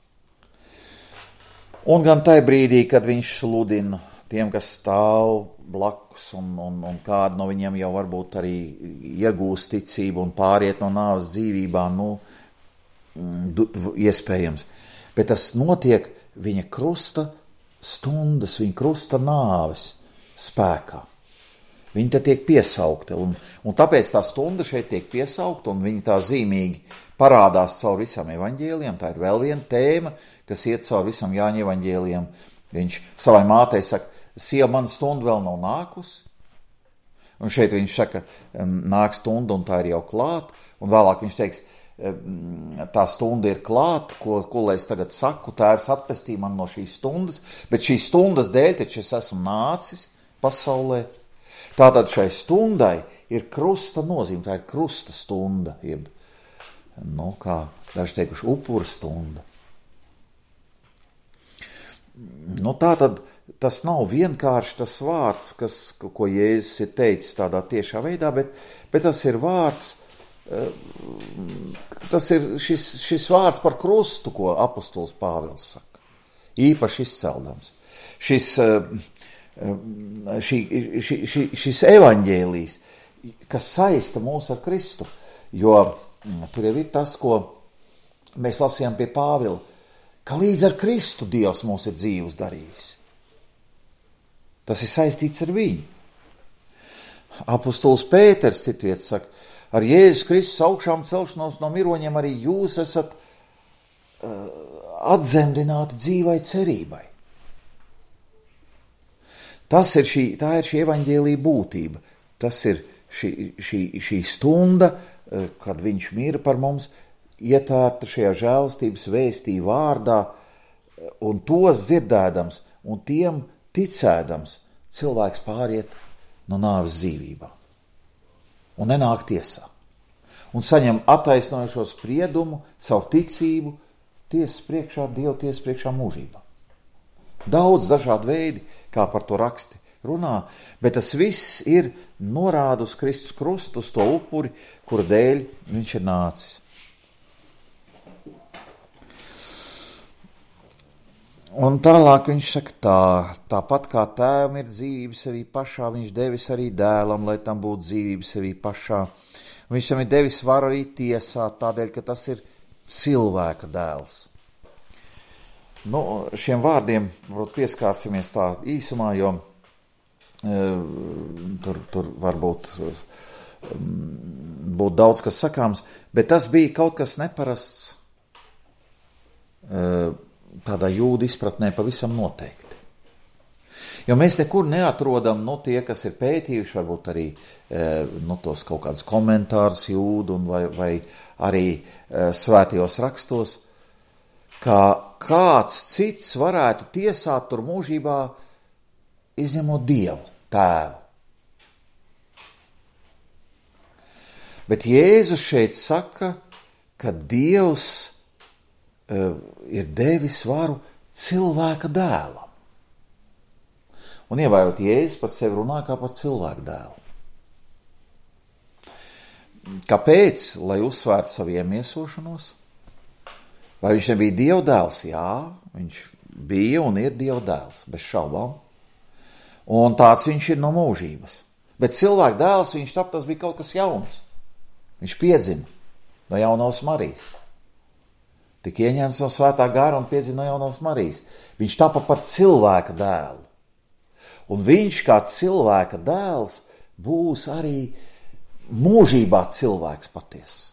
Un gan tajā brīdī, kad viņš sludina tiem, kas stāv blakus, un kādi no viņiem jau varbūt arī iegūst ticību un pāriet no nāves dzīvībā, iespējams. Bet tas notiek viņa krusta stundas, viņa krusta nāves spēkā. Viņa te tiek piesaukta, un tāpēc tā stunda šeit tiek piesaukta, un viņa tā zīmīgi parādās caur visam evaņģēlijam. Tā ir vēl viena tēma, kas iet caur visam Jāņa evaņģēlijam. Viņš savai mātei saka, sieva, man stunda vēl nav nākusi. Un šeit viņš saka, nāk stunda, un tā ir jau klāt. Un vēlāk viņš teiks, tā stunda ir klāt, ko lai es tagad saku, Tēvs atpestī man no šīs stundas, bet šīs stundas dēļ taču es esmu nācis pasaulē. Tātad šai stundai ir krusta nozīme, tā ir krusta stunda, jeb, kā daži teikuši, upura stunda. Tātad tas nav vienkārši tas vārds, ko Jēzus ir teicis tādā tiešā veidā, bet tas ir vārds, tas ir šis vārds par krustu, ko apostols Pāvils saka, īpaši izceldams. Šis evaņģēlijs, kas saista mūs ar Kristu, jo tur jau ir tas, ko mēs lasījām pie Pāvila, ka līdz ar Kristu Dievs mūs ir dzīvus darījis. Tas ir saistīts ar viņu. Apostols Pēters citviet saka, ar Jēzus Kristus augšām celšanos no miroņiem arī jūs esat atzemdināti dzīvai cerībai. Tā ir šī evaņģēlija būtība. Tas ir šī stunda, kad viņš mīra par mums, ietērta šajā žēlastības vēstī vārdā, un tos dzirdēdams, un tiem ticēdams, cilvēks pāriet no nāves dzīvībā. Un nenāk tiesā. Un saņem attaisnojošo spriedumu, caur ticību, tiesas priekšā, Dieva tiesas priekšā mūžībā. Daudz dažādu veidi, kā par to raksti runā, bet tas viss ir norāda uz Kristus krustu, uz to upuri, kura dēļ viņš ir nācis. Un tālāk viņš saka tāpat kā tēvam ir dzīvība sevī pašā, viņš devis arī dēlam, lai tam būtu dzīvība sevī pašā. Viņš tam ir devis varu arī tiesāt, tādēļ, ka tas ir cilvēka dēls. Šiem vārdiem pieskārsimies tā īsumā, jo tur varbūt būtu daudz kas sakāms, bet tas bija kaut kas neparasts tādā jūdu izpratnē pavisam noteikti. Jo mēs nekur neatrodam, tie, kas ir pētījuši, varbūt arī tos kaut kādus komentārus jūdu vai arī svētajos rakstos, ka kāds cits varētu tiesāt tur mūžībā, izņemot Dievu, Tēvu. Bet Jēzus šeit saka, ka Dievs ir devis varu cilvēka dēlam. Un ievērot, Jēzus par sevi runā kā par cilvēku dēlu. Kāpēc? Lai uzsvērtu savu iemiesošanos? Vai viņš nebija Dieva dēls? Jā, viņš bija un ir Dieva dēls, bez šaubām. Un tāds viņš ir no mūžības. Bet cilvēka dēls, tas bija kaut kas jauns. Viņš piedzima no jaunās Marijas. Tik ieņemts no svētā gara un piedzima no jaunās Marijas. Viņš tapa par cilvēka dēlu. Un viņš kā cilvēka dēls būs arī mūžībā cilvēks patiesi.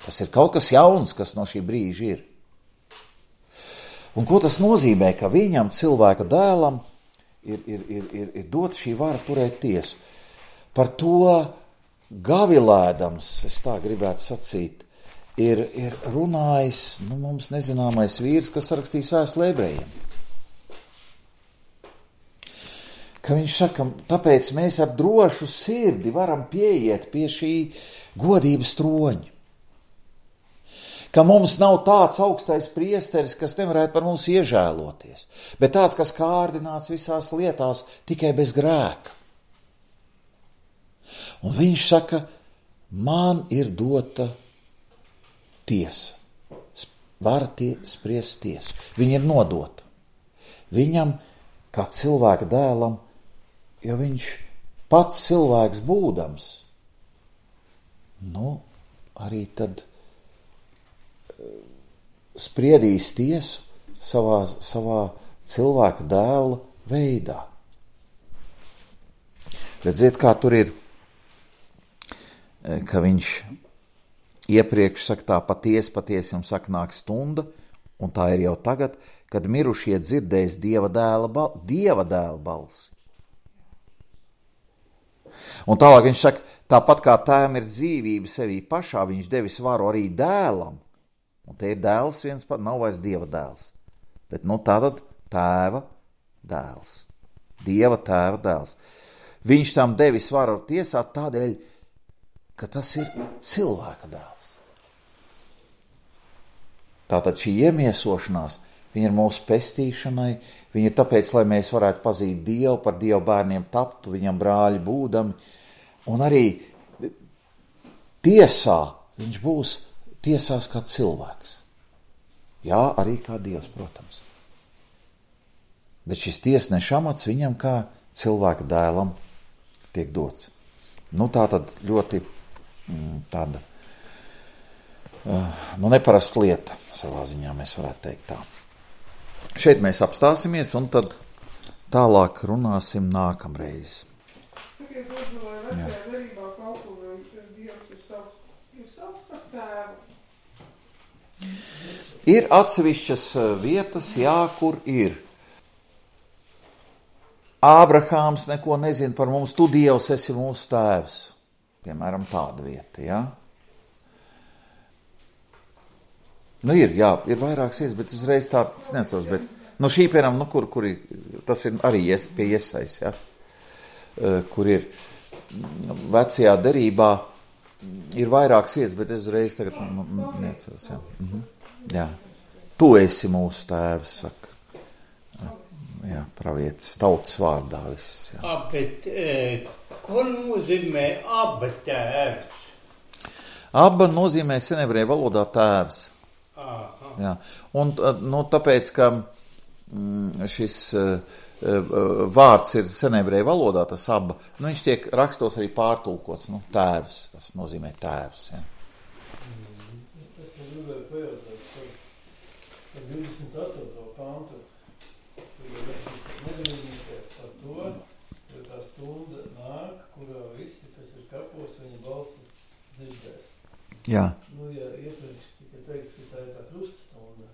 Tas ir kaut kas jauns, kas no šī brīža ir. Un ko tas nozīmē, ka viņam, cilvēka dēlam, ir dot šī vara turēt tiesu? Par to gavilēdams, es tā gribētu sacīt, ir runājis mums nezināmais vīrs, kas rakstīs vēstuli Ebrejiem. Ka viņš saka, tāpēc mēs ar drošu sirdi varam pieiet pie šī godības troņa. Ka mums nav tāds augstais priesteris, kas nevarētu par mums iežēloties, bet tāds, kas kārdināts visās lietās tikai bez grēka. Un viņš saka, man ir dota tiesa, vara spriest tiesu. Viņa ir nodota. Viņam, kā cilvēka dēlam, jo viņš pats cilvēks būdams, arī tad spriedīs tiesu savā cilvēka dēla veidā. Redziet, kā tur ir, ka viņš iepriekš saka tā patiesi jums saka nāk stunda, un tā ir jau tagad, kad mirušie dzirdēs Dieva dēla balsi. Un tālāk viņš saka, tāpat kā tēvam ir dzīvība sevī pašā, viņš devis varu arī dēlam. Un te ir dēls viens pat, nav vairs Dieva dēls. Bet tātad tēva dēls. Dieva tēva dēls. Viņš tam devis varu tiesāt tādēļ, ka tas ir cilvēka dēls. Tātad šī iemiesošanās, viņa ir mūsu pestīšanai, viņa ir tāpēc, lai mēs varētu pazīt Dievu, par Dievu bērniem taptu, viņam brāļi būdami, un arī tiesā viņš būs tiesās kā cilvēks. Jā, arī kā Dievs, protams. Bet šis tiesneša amats viņam kā cilvēka dēlam tiek dots. Tā tad ļoti tāda neparasta lieta savā ziņā, mēs varētu teikt tā. Šeit mēs apstāsimies un tad tālāk runāsim nākamreiz. Sakiet, lūdzu, vai vecajā derībā kaut kur Dievs ir savs par tēvu? Ir atsevišķas vietas, jā, kur ir. Ābrahāms neko nezina par mums, tu Dievs esi mūsu tēvs. Piemēram, tāda vieta, jā. Ir vairākas vietas, bet uzreiz tā, es necos, bet, šī, piemēram, kur ir, tas ir arī pie Iesais, jā, kur ir vecajā derībā, ir vairākas vietas, bet es uzreiz tagad, neceros, jā. Jā. Tu esi mūsu tēvs, saka. Jā, pravietis, tautas vārdā viss, jā. Bet, ko nozīmē aba tēvs? Aba nozīmē senebreju valodā tēvs. Jā. Un tāpēc, ka šis vārds ir senebreju valodā, tas aba, viņš tiek rakstos arī pārtulkots, tēvs, tas nozīmē tēvs, jā. Es gribēju pajautāt par 28. pantu, nedomīties par to, jo tā stunda nāk, kurā visi, kas ir kapos, viņa balsi dzirdēs. Jā. Ja iepriekš tika teikts, ka tā ir tā kruststunda,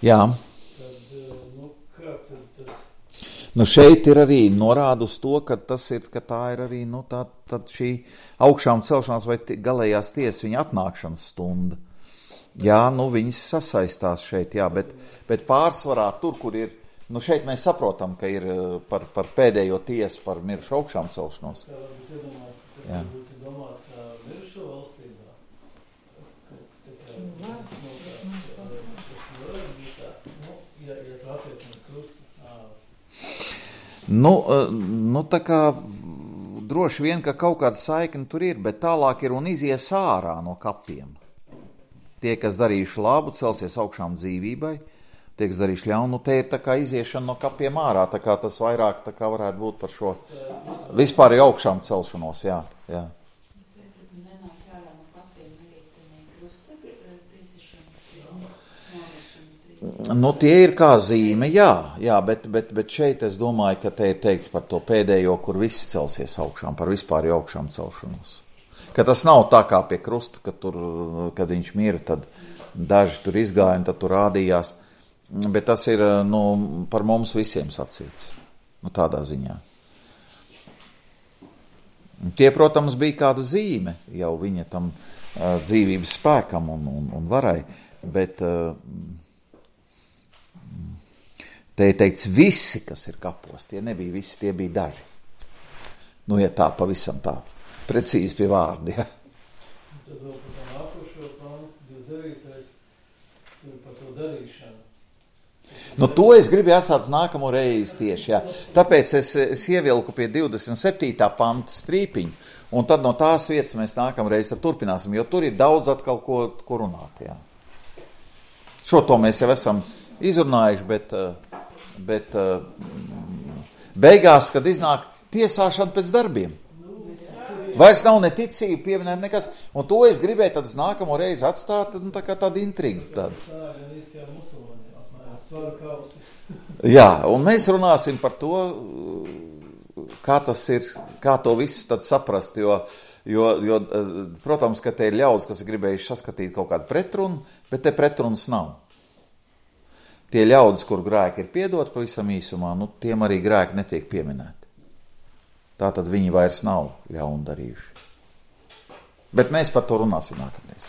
Jā. tad, kā tad tas... Šeit ir arī norāda uz to, ka tā ir arī, tad šī augšām celšanās vai galējās tiesas viņa atnākšanas stunda. Jā, viņas sasaistās šeit, jā, bet pārsvarā tur, kur ir, šeit mēs saprotam, ka ir par pēdējo tiesu par mirušu augšām celšanos. Tā varbūt iedomās, ka tas varbūt ir domāts kā mirušo valstībā. Tā kā droši vien, ka kaut kāda saikne tur ir, bet tālāk ir un izies ārā no kapiem. Tie, kas darījuši labu, celsies augšām dzīvībai, tie, kas darījuši ļaunu, te ir tā kā iziešana no kapiem ārā, tā kā tas vairāk tā kā varētu būt par šo vispār jau augšām celšanos, jā. Tie ir kā zīme, jā, bet šeit es domāju, ka te ir teikts par to pēdējo, kur visi celsies augšām, par vispār jau augšām celšanos. Ka tas nav tā kā pie krusta, kad viņš mira, tad daži tur izgāja un tad tur rādījās, bet tas ir, par mums visiem sacīts, tādā ziņā. Tie, protams, bija kāda zīme jau viņa tam dzīvības spēkam un varai, bet... Te ir teikts visi, kas ir kapos, tie nebija visi, tie bija daži. Ja tā pavisam tā, precīzi pie vārdi, jā. Tad vēl par tā nākošo pantu, 29. tur par to darīšanu. To es gribēju atstāt nākamo reizi tieši, jā. Tāpēc es ievilku pie 27. panta strīpiņu, un tad no tās vietas mēs nākamreiz turpināsim, jo tur ir daudz atkal ko runāt, jā. Šo to mēs jau esam izrunājuši, bet beigās, kad iznāk tiesāšana pēc darbiem, vairs nav ne ticība pieminēt nekas, un to es gribēju tad uz nākamo reizi atstāt, tā kā tāda intriga. Jā, un mēs runāsim par to, kā tas ir, kā to visu tad saprast, jo protams, ka te ir ļaudis, kas ir gribējuši saskatīt kaut kādu pretrunu, bet te pretrunas nav. Tie ļaudis, kur grēki ir piedot pavisam īsumā, tiem arī grēki netiek pieminēti. Tātad viņi vairs nav ļaunu darījuši. Bet mēs par to runāsim nākamreiz.